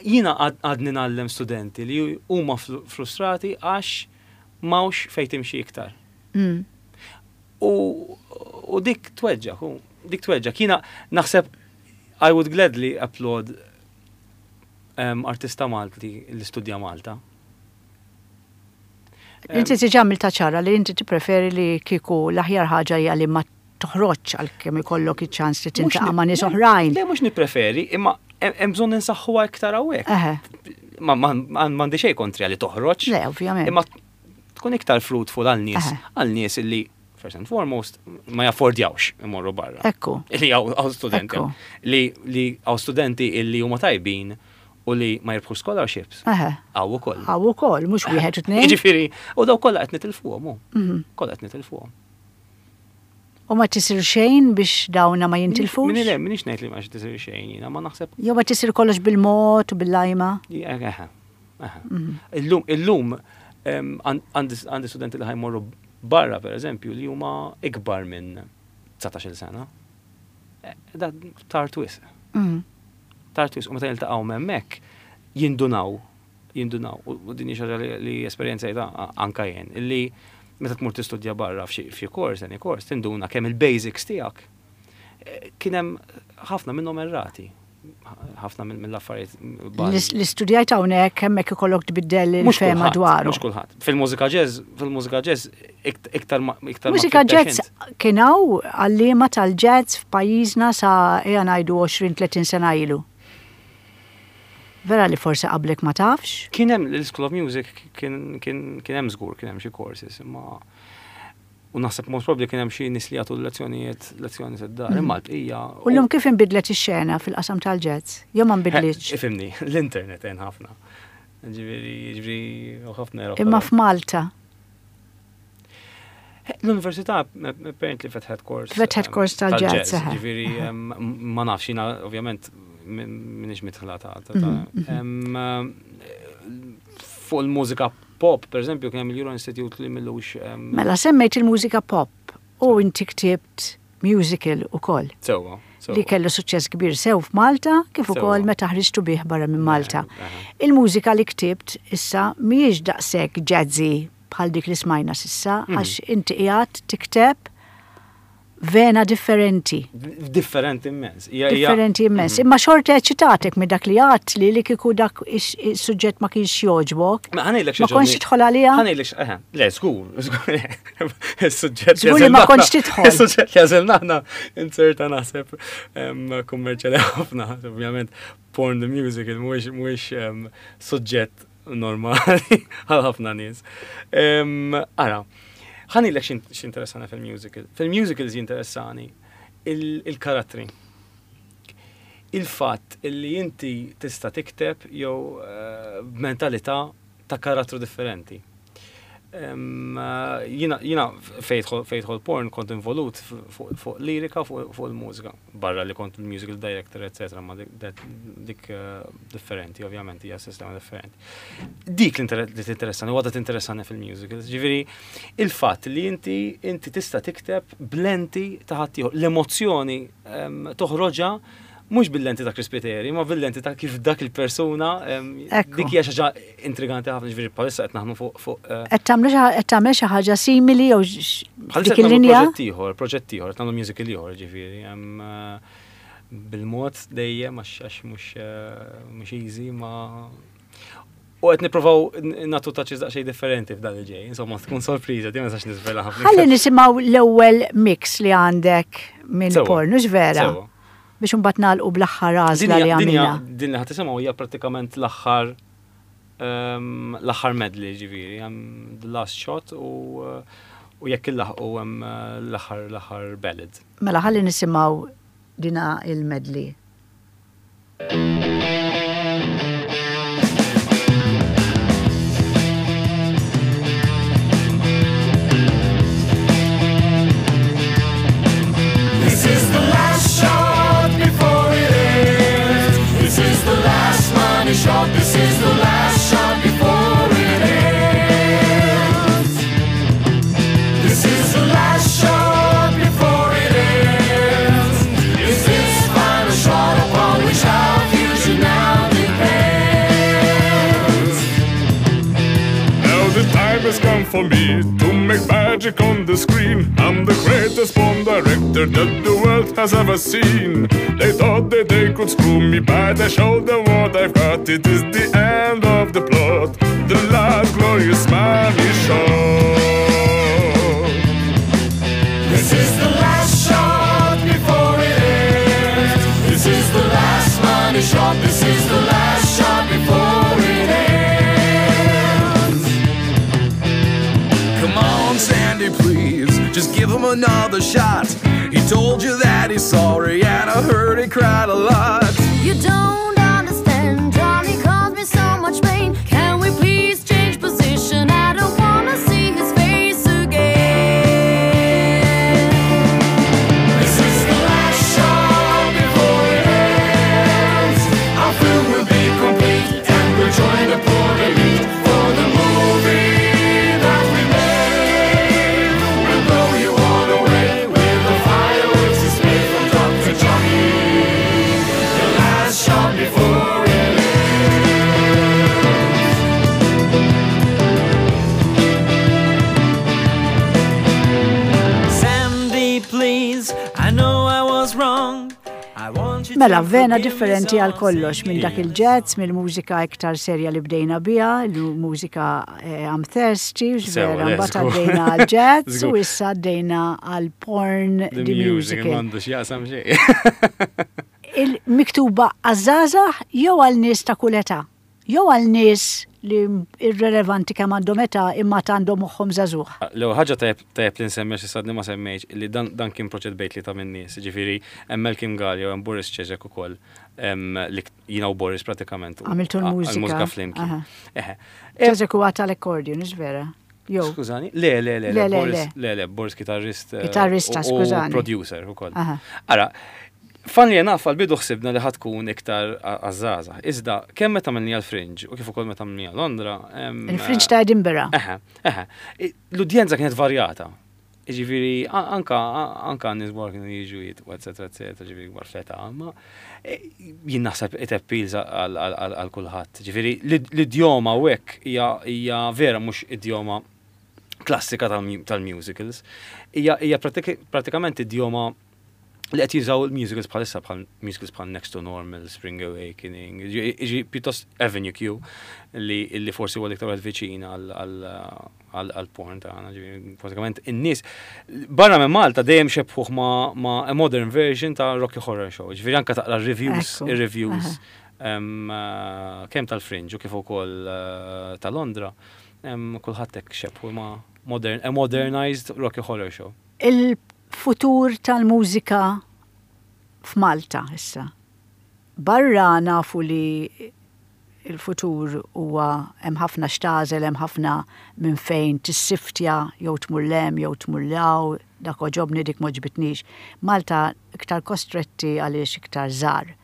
Jiena għadni ngħallem studenti li huma frustrati għax m'hawnx fejn timxi iktar. Mm. U dik tweġġak, dik tweġġak. Jiena naħseb I would gladly applaud artista Malti li studja Malta. Inti diġà għamiltha ċara li inti tippreferi li kieku l-aħjar ħaġa hija li ma toħroġx għalkemm ikollok iċ-ċans li tintaqa' ma' nies oħrajn. Le mhux nippreferi, imma hemm bżonn insaħħuha iktar hawnhekk. Ma m'għandi xejn kontra li toħroġ. Le, ovvjament. Imma tkun iktar fruitful għal nies, għal nies illi first and foremost ma jaffordjawx imorru barra. Ekku. Li hawn studenti. Li hawn studenti illi huma tajbin u li ma jirbħux scholarships. Hawn ukoll. Hawn ukoll, mhux wieħed u tnejn. Jiġifieri, u daw kollha qed nitilfuhom hu. Mhm. Kollha qed nitilfuhom. U ma tisir xejn biex dawna ma jintilfux? Minni le, minix ngħid li ma tisir xejn jiena, ma naħseb. Jew ma tisir kollox bil-mod u bil-lajma? Mhm. Illum, illum għandi studenti li ħajmorru barra per eżempju li huma ikbar minn 19 sena. Eh, da tard wisq. Mhm. Tard wisq u meta jiltaqgħu hemmhekk. Jindunaw, jindunaw, u din hi xi ħaġa li esperjenzajtha anka jien, illi meta tmur tistudja barra f'xi kors, any kors, tinduna kemm il-basics tiegħek eh, kien hemm ħafna minnhom errati ħafna mill-affarijiet. Li studjajt hawnhekk hemmhekk ikollok tbiddel il-fema dwaru. Mhux kulħadd. Fil-mużika jazz, fil-mużika jazz iktar iktar. Mużika jazz kien hawn għalliema tal-jazz f'pajjiżna sa ejja ngħidu 20-30 sena ilu. Vera li forsi qablek ma tafx? Kien hemm l-School of Music kien hemm żgur kien hemm xi courses imma u naħseb most probably kien hemm xi nies li jagħtu lezzjonijiet lezzjoni id-dar mm. imma l-bqija. U llum kif inbidlet ix-xena fil-qasam tal-jazz? Jew ma nbidlitx? Ifhimni, l-internet għen ħafna. Ġifieri, ġifieri ħafna Imma f'Malta. L-università apparently fetħet kors. Fetħet kors tal-ġazz. Ġifieri ma nafx jiena ovvjament minix mitħla ta' mhm, mhm. Fuq il-mużika pop, per eżempju, kien hemm il-Euro Institute li millux. Mela semmejt il-mużika pop u inti ktibt musical ukoll. Sewwa. Li kellu suċċess kbir sew f'Malta kif ukoll meta ħriġtu bih barra minn Malta. Il-mużika li ktibt issa mhijiex daqshekk jazzy bħal dik li smajna s'issa mhm. għax inti qiegħed tikteb vena differenti. Differenti immens. Differenti immens. Mhm. Imma xorta eċitatek minn dak li għat li li kieku dak is-suġġett ma kienx jogħġbok. Ma ħanejlek Ma kontx tidħol għalija? Ħanejlek, eh, le, żgur, żgur. Is-suġġett. Żgur li ma kontx tidħol. Is-suġġett li għażilna aħna inserta naħseb kummerċjali ħafna, ovvjament porn the musical mhuwiex suġġett normali għal ħafna nies. Ara, ħanilek x'interessani fil-musical. Fil-musicals jinteressani il-karattri. Il-fatt li inti tista' tikteb jew eh, b'mentalità ta' karattru differenti. Jiena fejn porn kont involut fuq lirika fuq il-mużika, barra li kont il-musical director, etc. Ma dik eh, differenti, ovvjament, hija sistema differenti. Dik li tinteressani, u għadha tinteressani fil-musicals. Ġifieri, il-fatt li inti inti tista' tikteb blenti ta' ħaddieħor, l-emozzjoni toħroġha mhux bil-lenti ta' Chris Spiteri, ma bil-lenti ta' kif dak il-persuna dik hija xi ħaġa intriganti ħafna ġifieri bħalissa qed naħdmu fuq fuq eh, Qed tagħmlu qed tagħmel xi ħaġa simili jew dik il-linja? Proġett ieħor, proġett ieħor, qed nagħmlu musical ieħor ġifieri eh, bil-mod dejjem għax mhux eh, mhux easy ma U qed nippruvaw nagħtu touches daqsxejn differenti f'dan li ġej. Insomma, tkun sorpriża, di ma nistax niżvela ħafna. Ħalli nisimgħu l-ewwel mix li għandek minn porn, hux vera? Biex imbagħad nagħlqu bl-aħħar għażla li għamilna. Din li ħa tisimgħu hija prattikament l-aħħar ehm, l-aħħar medley ġifieri, hemm the last shot u u jekk illaħqu hemm l-aħħar l-aħħar ballad. Mela ħalli nisimgħu dina il-medley. This is the last shot before it ends. This is the last money shot. This is the last shot before it ends. This is the last shot before it ends. This is final shot upon which our future now depends. Now the time has come for me to make magic on the screen. I'm the greatest porn director that the world has ever seen. They thought that they could screw me, but I showed them what I've got. It is the end of the plot, the last glorious money shot. This is the last shot before it ends. This is the last money shot. This is the last shot before it ends. Come on, Sandy, please, just give him another shot. He told you that he's sorry, and I heard he cried a lot. You don't understand, Johnny caused me so much pain. Can we please change position? I don't wanna see his face again. This is the last shot before it ends. Our film will be complete and we'll join the poor elite for the movie that we made. We'll blow you all away with the fireworks display from Dr. Johnny. The last shot Mela, vena differenti għal kollox minn dak il-jazz, mill-mużika iktar serja li bdejna biha, l-mużika eh, I'm Thirsty, vera, mbagħad għaddejna għal jazz u issa għaddejna għal porn the musical. M'għandux jaqsam xejn. Il-miktuba għaż-żgħażagħ jew għal nies ta' kull età? Jew għal nies li irrelevanti kemm għandhom età imma ta' għandhom moħħhom żagħżugħ? L-ewwel ħaġa tajjeb tajjeb li nsemmi għax issa għadni ma semmejtx li dan dan kien proġett bejn tlieta min-nies, jiġifieri hemm Malcolm Galea u hemm Boris Cesek ukoll li jiena u Boris pratikament Għamiltu l-mużika. L-mużika flimkien. Eħe. Cesek huwa tal-accordion, hux vera? Jew. Skużani? Le, le, le, le, Boris, le, le, Boris kitarrist. Kitarrista, skużani. Producer ukoll. Ara, Funnily enough, għall-bidu ħsibna li ħa tkun iktar għaż-żgħażagħ. Iżda, kemm meta għamilniha l-Fringe u kif ukoll meta għamilniha Londra. Il-Fringe ta' Edinburgh. Eħe, eħe. L-udjenza kienet varjata. Jiġifieri, anka anka nies kbar kienu jiġu jitqu, eċetera, eċetera, ġifieri kbar fl-età, imma jien naħseb it appeals għal kulħadd. Ġifieri, l-idjoma u hekk hija vera mhux idjoma klassika tal-musicals. Hija prattikament idjoma li qed jużaw il-musicals bħalissa bħal musicals bħal Next to Normal, Spring Awakening, iġi pjuttost Avenue Q li, li forsi huwa l-iktar wieħed viċin għal porn tagħna, ġifieri pratikament in-nies barra minn Malta dejjem xebħuh ma', ma a modern version ta' Rocky Horror Show, ġifieri anke taqra reviews, ir-reviews kemm tal-Fringe u kif ukoll eh, ta' Londra, kulħadd hekk xebħu ma' modern, a modernized Rocky Horror Show. Il-futur tal-mużika f'Malta issa. Barra nafu li il-futur huwa hemm ħafna x'tagħżel, hemm ħafna minn fejn tissiftja jew tmur 'l hemm jew tmur 'l hawn, dak għoġobni dik m'għoġbitnix. Malta iktar kostretti għaliex iktar żgħar.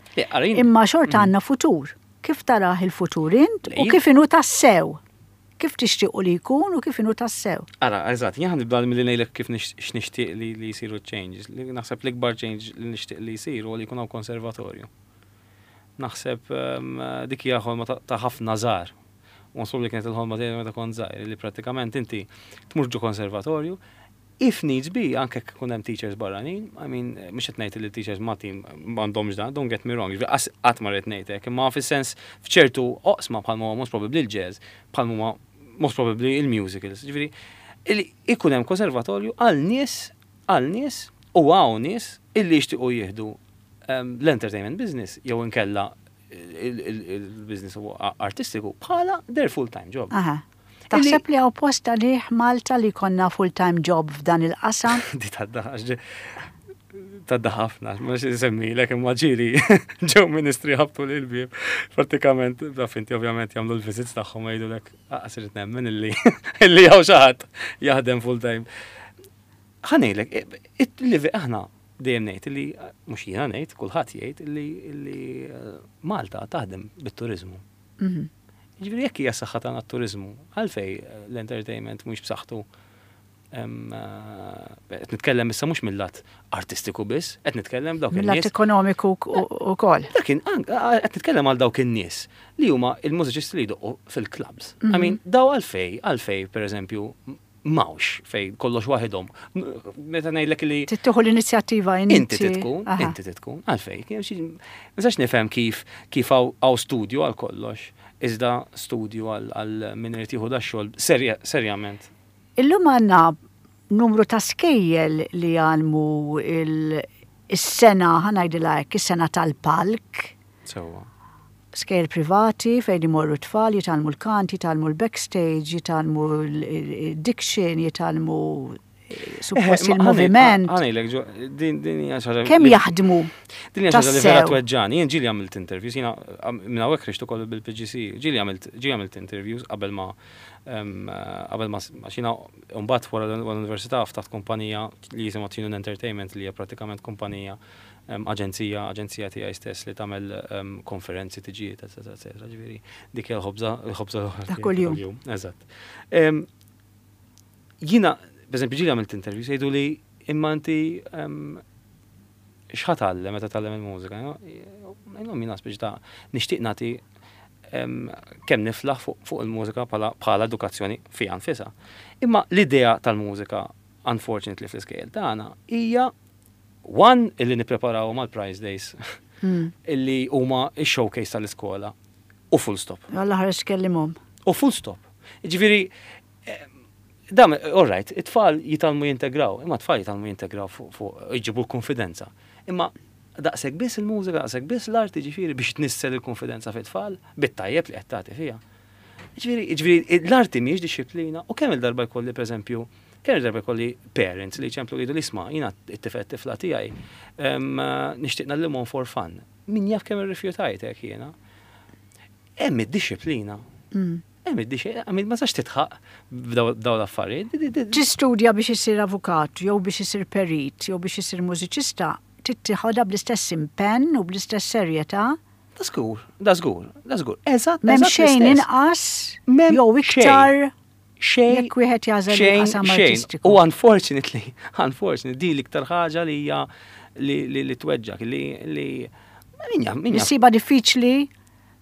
Imma xorta għandna futur. Kif tarah il-futur int u kif inhu tassew? Kif tixtiequ li jkun u kif inhu tassew. Ara, eżatt, jien ħa nibda milli ngħidlek kif x'nixtieq li li jsiru ċ-changes. Li naħseb l-ikbar change li nixtieq li jsir huwa li jkun hawn konservatorju. Naħseb dik hija ħolma ta' ħafna żgħar. U naħseb li kienet il-ħolma tiegħi meta kont żgħir, li prattikament inti tmur ġo konservatorju, If needs be, anke jekk ikun hemm teachers barranin, I mean, mhux qed ngħid li teachers Maltin m'għandhomx dan, don't get me wrong, jiġifieri qas qatt ma rrid ngħid hekk, imma fis-sens f'ċertu oqsma bħalma huwa most probably l-jazz, bħalma huma most probably il-musicals, jiġifieri li ikun hemm konservatorju għal nies għal nies u hawn nies illi jixtiequ jieħdu l-entertainment business jew inkella il-business artistiku bħala their full-time job. Aha. Taħseb li hawn post għalih Malta li jkollna full-time job f'dan il-qasam? Di tadda tadda ħafna, ma semmilek imma ġieli ġew ministri ħabtu lil bieb. Pratikament, taf inti ovvjament jagħmlu l-visits tagħhom jgħidulek aqas irid nemmen illi illi hawn xi ħadd jaħdem full-time. Ħa ngħidlek, aħna dejjem ngħid li mhux jiena ngħid, kulħadd jgħid li Malta taħdem bit-turiżmu. Mhm. Jiġifieri jekk hija s-saħħa tagħna t-turiżmu, għalfej l-entertainment mhux b'saħħtu eh, qed nitkellem issa mhux mill-lat artistiku biss, qed nitkellem dawk Mill-lat ekonomiku ukoll. Dak qed nitkellem għal dawk in-nies li huma il-mużiċisti li jdoqqu fil-clubs. I mhm. mean, daw għalfej, għalfej pereżempju m'hawnx fejn kollox waħidhom. Meta ngħidlek li. Trid tieħu l-inizjattiva inti. Inti trid tkun, inti trid tkun, għalfejn. Ma nistax nifhem kif kif hawn studju għal kollox, iżda studju għal min irid jieħu dax-xogħol serjament. Illum għandna numru ta' skejjel li jgħallmu is-sengħa, ħa ngħidilha hekk, is-sengħa tal-palk. Sewwa. Skejjel privati fejn imorru t-tfal jitgħallmu l-kant, jitgħallmu l-backstage, jitgħallmu l-diction, jitgħallmu suppost il-moviment. Ħanejlek, din hija xi ħaġa. Kemm jaħdmu? Din hija xi ħaġa li vera tweġġani. Jien ġieli għamilt interviews, jiena minn hawnhekk ħriġt ukoll bil-PGC, ġieli għamilt ġieli għamilt interviews qabel ma qabel ma għax jiena mbagħad wara l-università ftaħt kumpanija li jisimha Tune Entertainment li hija prattikament kumpanija aġenzija, aġenzija tiegħi stess li tagħmel konferenzi, tiġijiet, eċetera, eċetera. Ġifieri dik hija l-ħobża, l-ħobża ta' kuljum. Eżatt. Jiena, pereżempju, ġieli għamilt interview jgħidu li imma inti x'ħa tgħallem meta tgħallem il-mużika? Ngħidilhom jiena speċi ta' nixtieq nagħti kemm niflaħ fuq il-mużika bħala edukazzjoni fiha nfisha. Imma l-idea tal-mużika, unfortunately fl-iskejjel tagħna, hija One, illi nippreparawhom għall-prize days. Illi huma x-showcase tal-iskola. U full stop. Alla ħares kellimhom. U full stop. Ġifieri, dam, all right, it-tfal jitgħallmu jintegraw, imma t-tfal jitgħallmu jintegraw fuq jġibu l-konfidenza. Imma daqshekk biss il-mużika, daqshekk biss l-arti ġifieri biex tnissel il-konfidenza fit-tfal, bit-tajjeb li qed tagħti fiha. Ġifieri, l-arti mhijiex dixxiplina u kemm il-darba jkolli pereżempju, kemm il-darba jkolli parents li jċemplu jgħidu li isma' jiena t-tifel tifla tiegħi nixtieq ngħallimhom for fun. Min jaf kemm irrifjutajt hekk jiena. Hemm id-dixxiplina. Hemm id-dixxiplina, ma sax titħaq b'daw l-affarijiet. Tistudja biex isir avukat, jew biex isir perit, jew biex isir mużiċista, tittieħodha bl-istess impenn u bl-istess serjetà. Da żgur, da żgur, da żgur. Eżatt, M'hemm eżatt xejn l-istess. inqas M'hemm jew iktar xejn, jekk wieħed jagħżel xejn, il-qasam xejn. artistiku. U unfortunately, unfortunately, di l-iktar ħaġa li hija li tweġġak, li min jaf, min jaf. Issibha diffiċli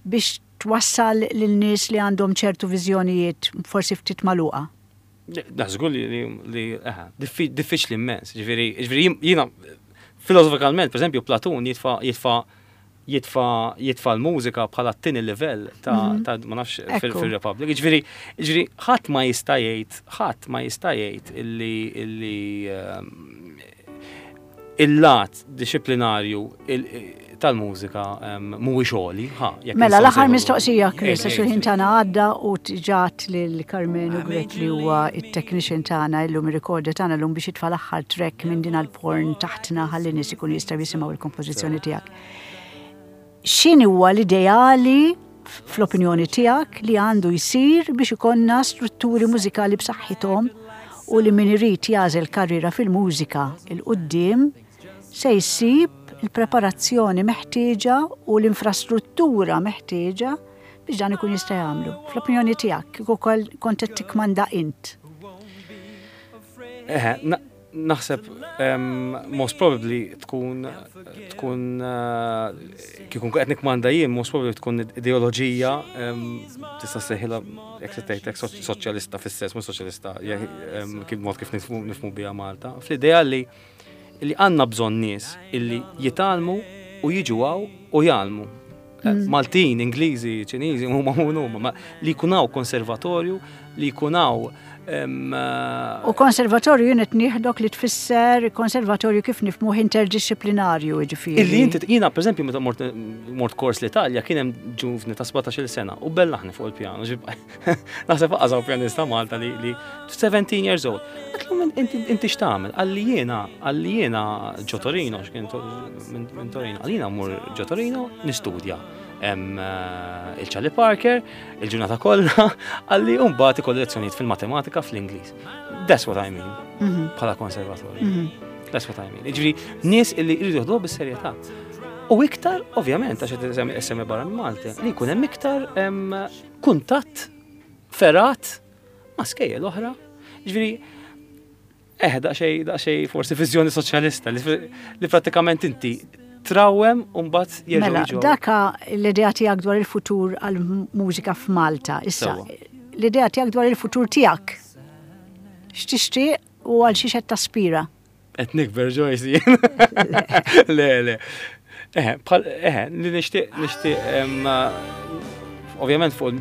biex twassal lil nies li għandhom ċertu viżjonijiet forsi ftit magħluqa. Da żgur li aha, diffiċli immens. Ġifieri, jiena filosofikalment, per eżempju, Platun jitfa l-mużika bħala t-tieni livell ta' ma nafx fil-Republic. Ġifieri ħadd ma jista' jgħid, ħadd ma jista' jgħid illi il-lat dixxiplinarju tal-mużika mhuwiex għoli, ha, jekk Mela, nistgħu l-aħħar nsejħu. mistoqsija, Chris, Ej, għax ej, il-ħin ej. tagħna għadda u ġat lil Karmenu Grech li huwa it-technician tagħna illum ir-recorder tagħna llum biex jitfa' l-aħħar track minn din għall-porn taħtna ħalli nies ikunu jistgħu jisimgħu il-kompożizzjoni tiegħek. X'inhi huwa l-ideali fl-opinjoni tiegħek li għandu jsir biex ikollna strutturi mużikali b'saħħithom u li min irid jagħżel karriera fil-mużika il quddiem se jsib il-preparazzjoni meħtieġa u l-infrastruttura meħtieġa biex dan ikun jista' jagħmlu. Fl-opinjoni tiegħek, kieku kont qed tikkmanda int. Eħe, naħseb most probably tkun kieku qed nikkmanda jien, most probably tkun ideoloġija, tista' sejħilha jekk se tgħid hekk soċjalista fis-sens, mhux soċjalista, kif mod kif nifhmu biha Malta. Fl-idea li għandna bżonn nies illi jitgħallmu u jiġu hawn u jgħallmu. Maltin, Ingliżi, Ċiniżi, huma huma, ma li jkun hawn konservatorju, li jkun hawn U konservatorju jien qed nieħdok li tfisser konservatorju kif nifhmuh interdixxiplinarju, jiġifieri. Illi inti, jiena per eżempju meta mort kors l-Italja kien hemm ġuvni ta' 17-il sena u bellaħni fuq il-pjano. Naħseb aqażaw pjanista Malta li 17 years old. Għatlu inti x'tagħmel? Għalli jiena ġo Torino, x'kien minn Torino. Għalli jiena mmur ġo Torino nistudja. Il-Charlie Parker, il-ġurnata kollha, għalli mbagħad ikolli lezzjonijiet fil-matematika fl-Ingliż. That's what I mean. Bħala konservatorju. That's what I mean. Jiġifieri, nies illi jridu jieħduha bis-serjetà. U iktar, ovvjament, għax qed semmi barra minn Malta, li jkun hemm iktar kuntatt ferat ma' skejjel oħra. Jiġifieri, daqsxejn forsi viżjoni soċjalista li prattikament inti trawem u mbagħad jerġgħu Mela, jiġu. daka l-idea tiegħek dwar il-futur għall-mużika f'Malta. Issa, l-idea tiegħek dwar il-futur tiegħek. X'tixtieq u għal xiex qed taspira? Qed nikber, Joyce, jien. Le, le. Bħal, li nixtieq, ovvjament fuq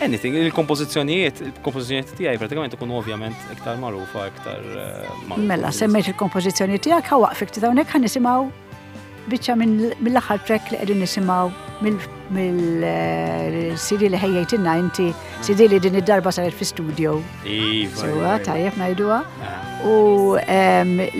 anything, il-kompożizzjonijiet tiegħi pratikament ikunu ovvjament iktar magħrufa, iktar magħrufa. Mela, semmejt il-kompożizzjoni tiegħek, ħa waqfek ftit hawnhekk ħa nisimgħu biċċa mill-aħħar track li qegħdin nisimgħu mill-CD li ħejjejtilna inti, CD li din id-darba saret fi studio. Iva, Sewa, iva, iva. tajjeb ngħiduha. U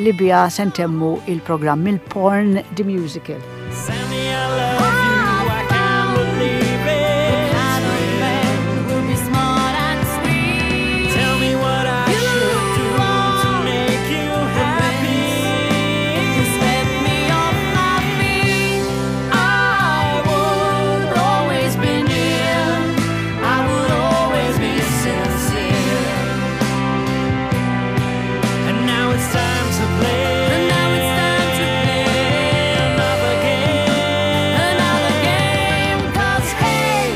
li biha se ntemmu il-programm il-Porn The Musical. Sammy, I love you, I can't believe it. Kind of man will be smart and sweet. Tell me what I should do to make you happy. You swept me off my feet. I would always be near. I would always be sincere. And now it's time to play. And now it's time to play another game. Another game, because hey,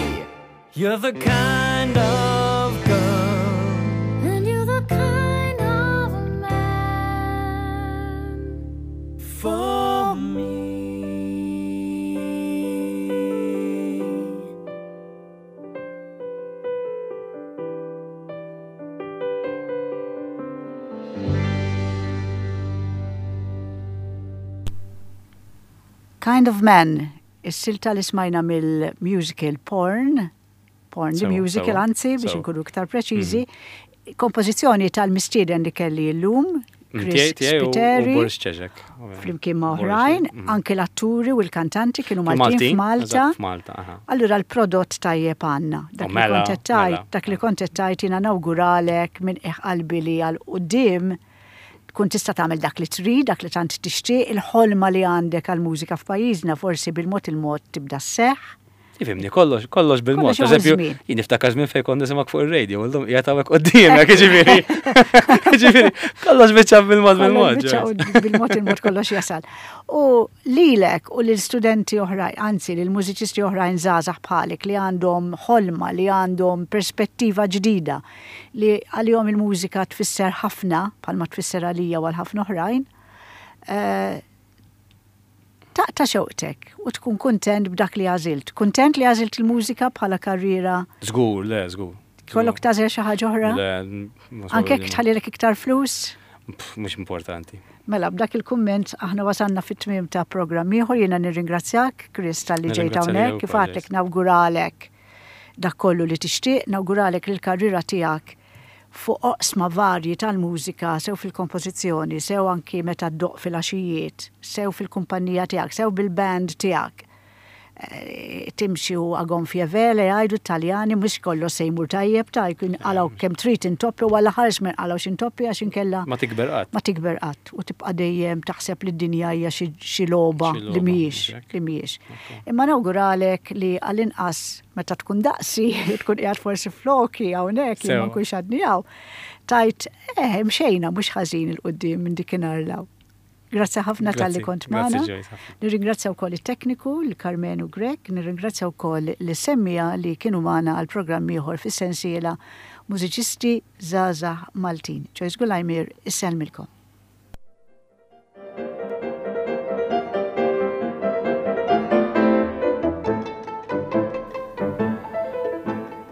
you're the kind of girl, and you're the kind of man for me. Kind of Man, is-silta li smajna mill-musical Porn, Porn the Musical anzi biex inkunu iktar preċiżi, mhm. kompożizzjoni tal-mistieden li kelli llum, Chris Spiteri, Boris Ċeġek. Flimkien ma' oħrajn, mhm. anke l-atturi u l-kantanti kienu Maltin f'Malta. F'Malta, Allura l-prodott tajjeb għandna. Dak li mela, kont qed tgħid, mela. dak li kont qed tgħid jiena nawguralek minn qiegħ qalbi li għal quddiem tkun tista' tagħmel dak li trid, dak li tant tixtieq, il-ħolma li għandek għall-mużika f'pajjiżna forsi bil-mod il-mod tibda sseħħ. Ifhimni, kollox, kollox bil-mod. Kollox Per eżempju, żmien. jien niftakar żmien fejn kont nisimgħek fuq ir-radio, illum qiegħed hawnhekk quddiemek, jiġifieri. Jiġifieri, kollox biċċa bil-mod bil-mod. Kollox biċċa u bil-mod il-mod kollox jasal. U lilek u lil studenti oħrajn, anzi lil mużiċisti oħrajn żgħażagħ bħalek li għandhom ħolma, li għandhom perspettiva ġdida, li għalihom il-mużika tfisser ħafna, bħalma tfisser għalija u għal ħafna oħrajn, eh, taqta' xewqtek u tkun kuntent b'dak li għażilt. Kuntent li għażilt il-mużika bħala karriera? Żgur, le, żgur. Kollok tagħżel xi ħaġa oħra? Le, Anke jekk tħallilek iktar flus? Mhux importanti. Mela, b'dak il-kumment aħna wasalna fit-tmiem ta' programm ieħor jiena nirringrazzjak, Chris, talli ġejt Nirringrazzja lilek hawnhekk, kif ukoll, għadtlek nawguralek dak kollu li tixtieq, nawguralek li l-karriera tiegħek fuq oqsma varji tal-mużika, sew fil-kompożizzjoni, sew anki meta ddoqq filgħaxijiet, sew fil-kumpanija tiegħek, sew bil-band tiegħek. Eh, timxi u a gonfie vele jgħidu t-Taljani mhux kollox se jmur tajjeb ta' jkun qalgħu kemm trid intoppi u alla ħares ma nqalgħux intoppi għax inkella Ma tikber qatt. ma tikber qatt u tibqa' dejjem taħseb li d-dinja hija xi xi logħba Xi li logħba, mhijiex mhux hekk? li mhijiex. Imma nawguralek li għall-inqas meta tkun daqsi, tkun qiegħed forsi floki hawnhekk jien ma Sewa. nkunx għadni hawn, tgħid eh mxejna mhux ħażin 'il quddiem minn dikinhar 'l hawn. Grazzi ħafna talli Grazzi, kont grazzi magħna. Joyce, ħafna. Nirringrazzja wkoll it-tekniku, l-Karmenu Grech, nirringrazzja wkoll lis-semmiegħa li kienu magħna għal programm ieħor fis-sensiela Mużiċisti Żgħażagħ Maltin. Joyce Gulajmir issellmilkom.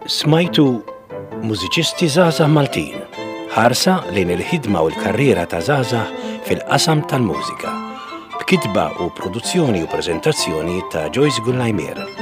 Smajtu Mużiċisti Żgħażagħ Maltin, ħarsa lejn il-ħidma u l-karriera ta' żgħażagħ fil-qasam tal-mużika. B'kitba u produzzjoni u preżentazzjoni ta' Joyce Gullajmier.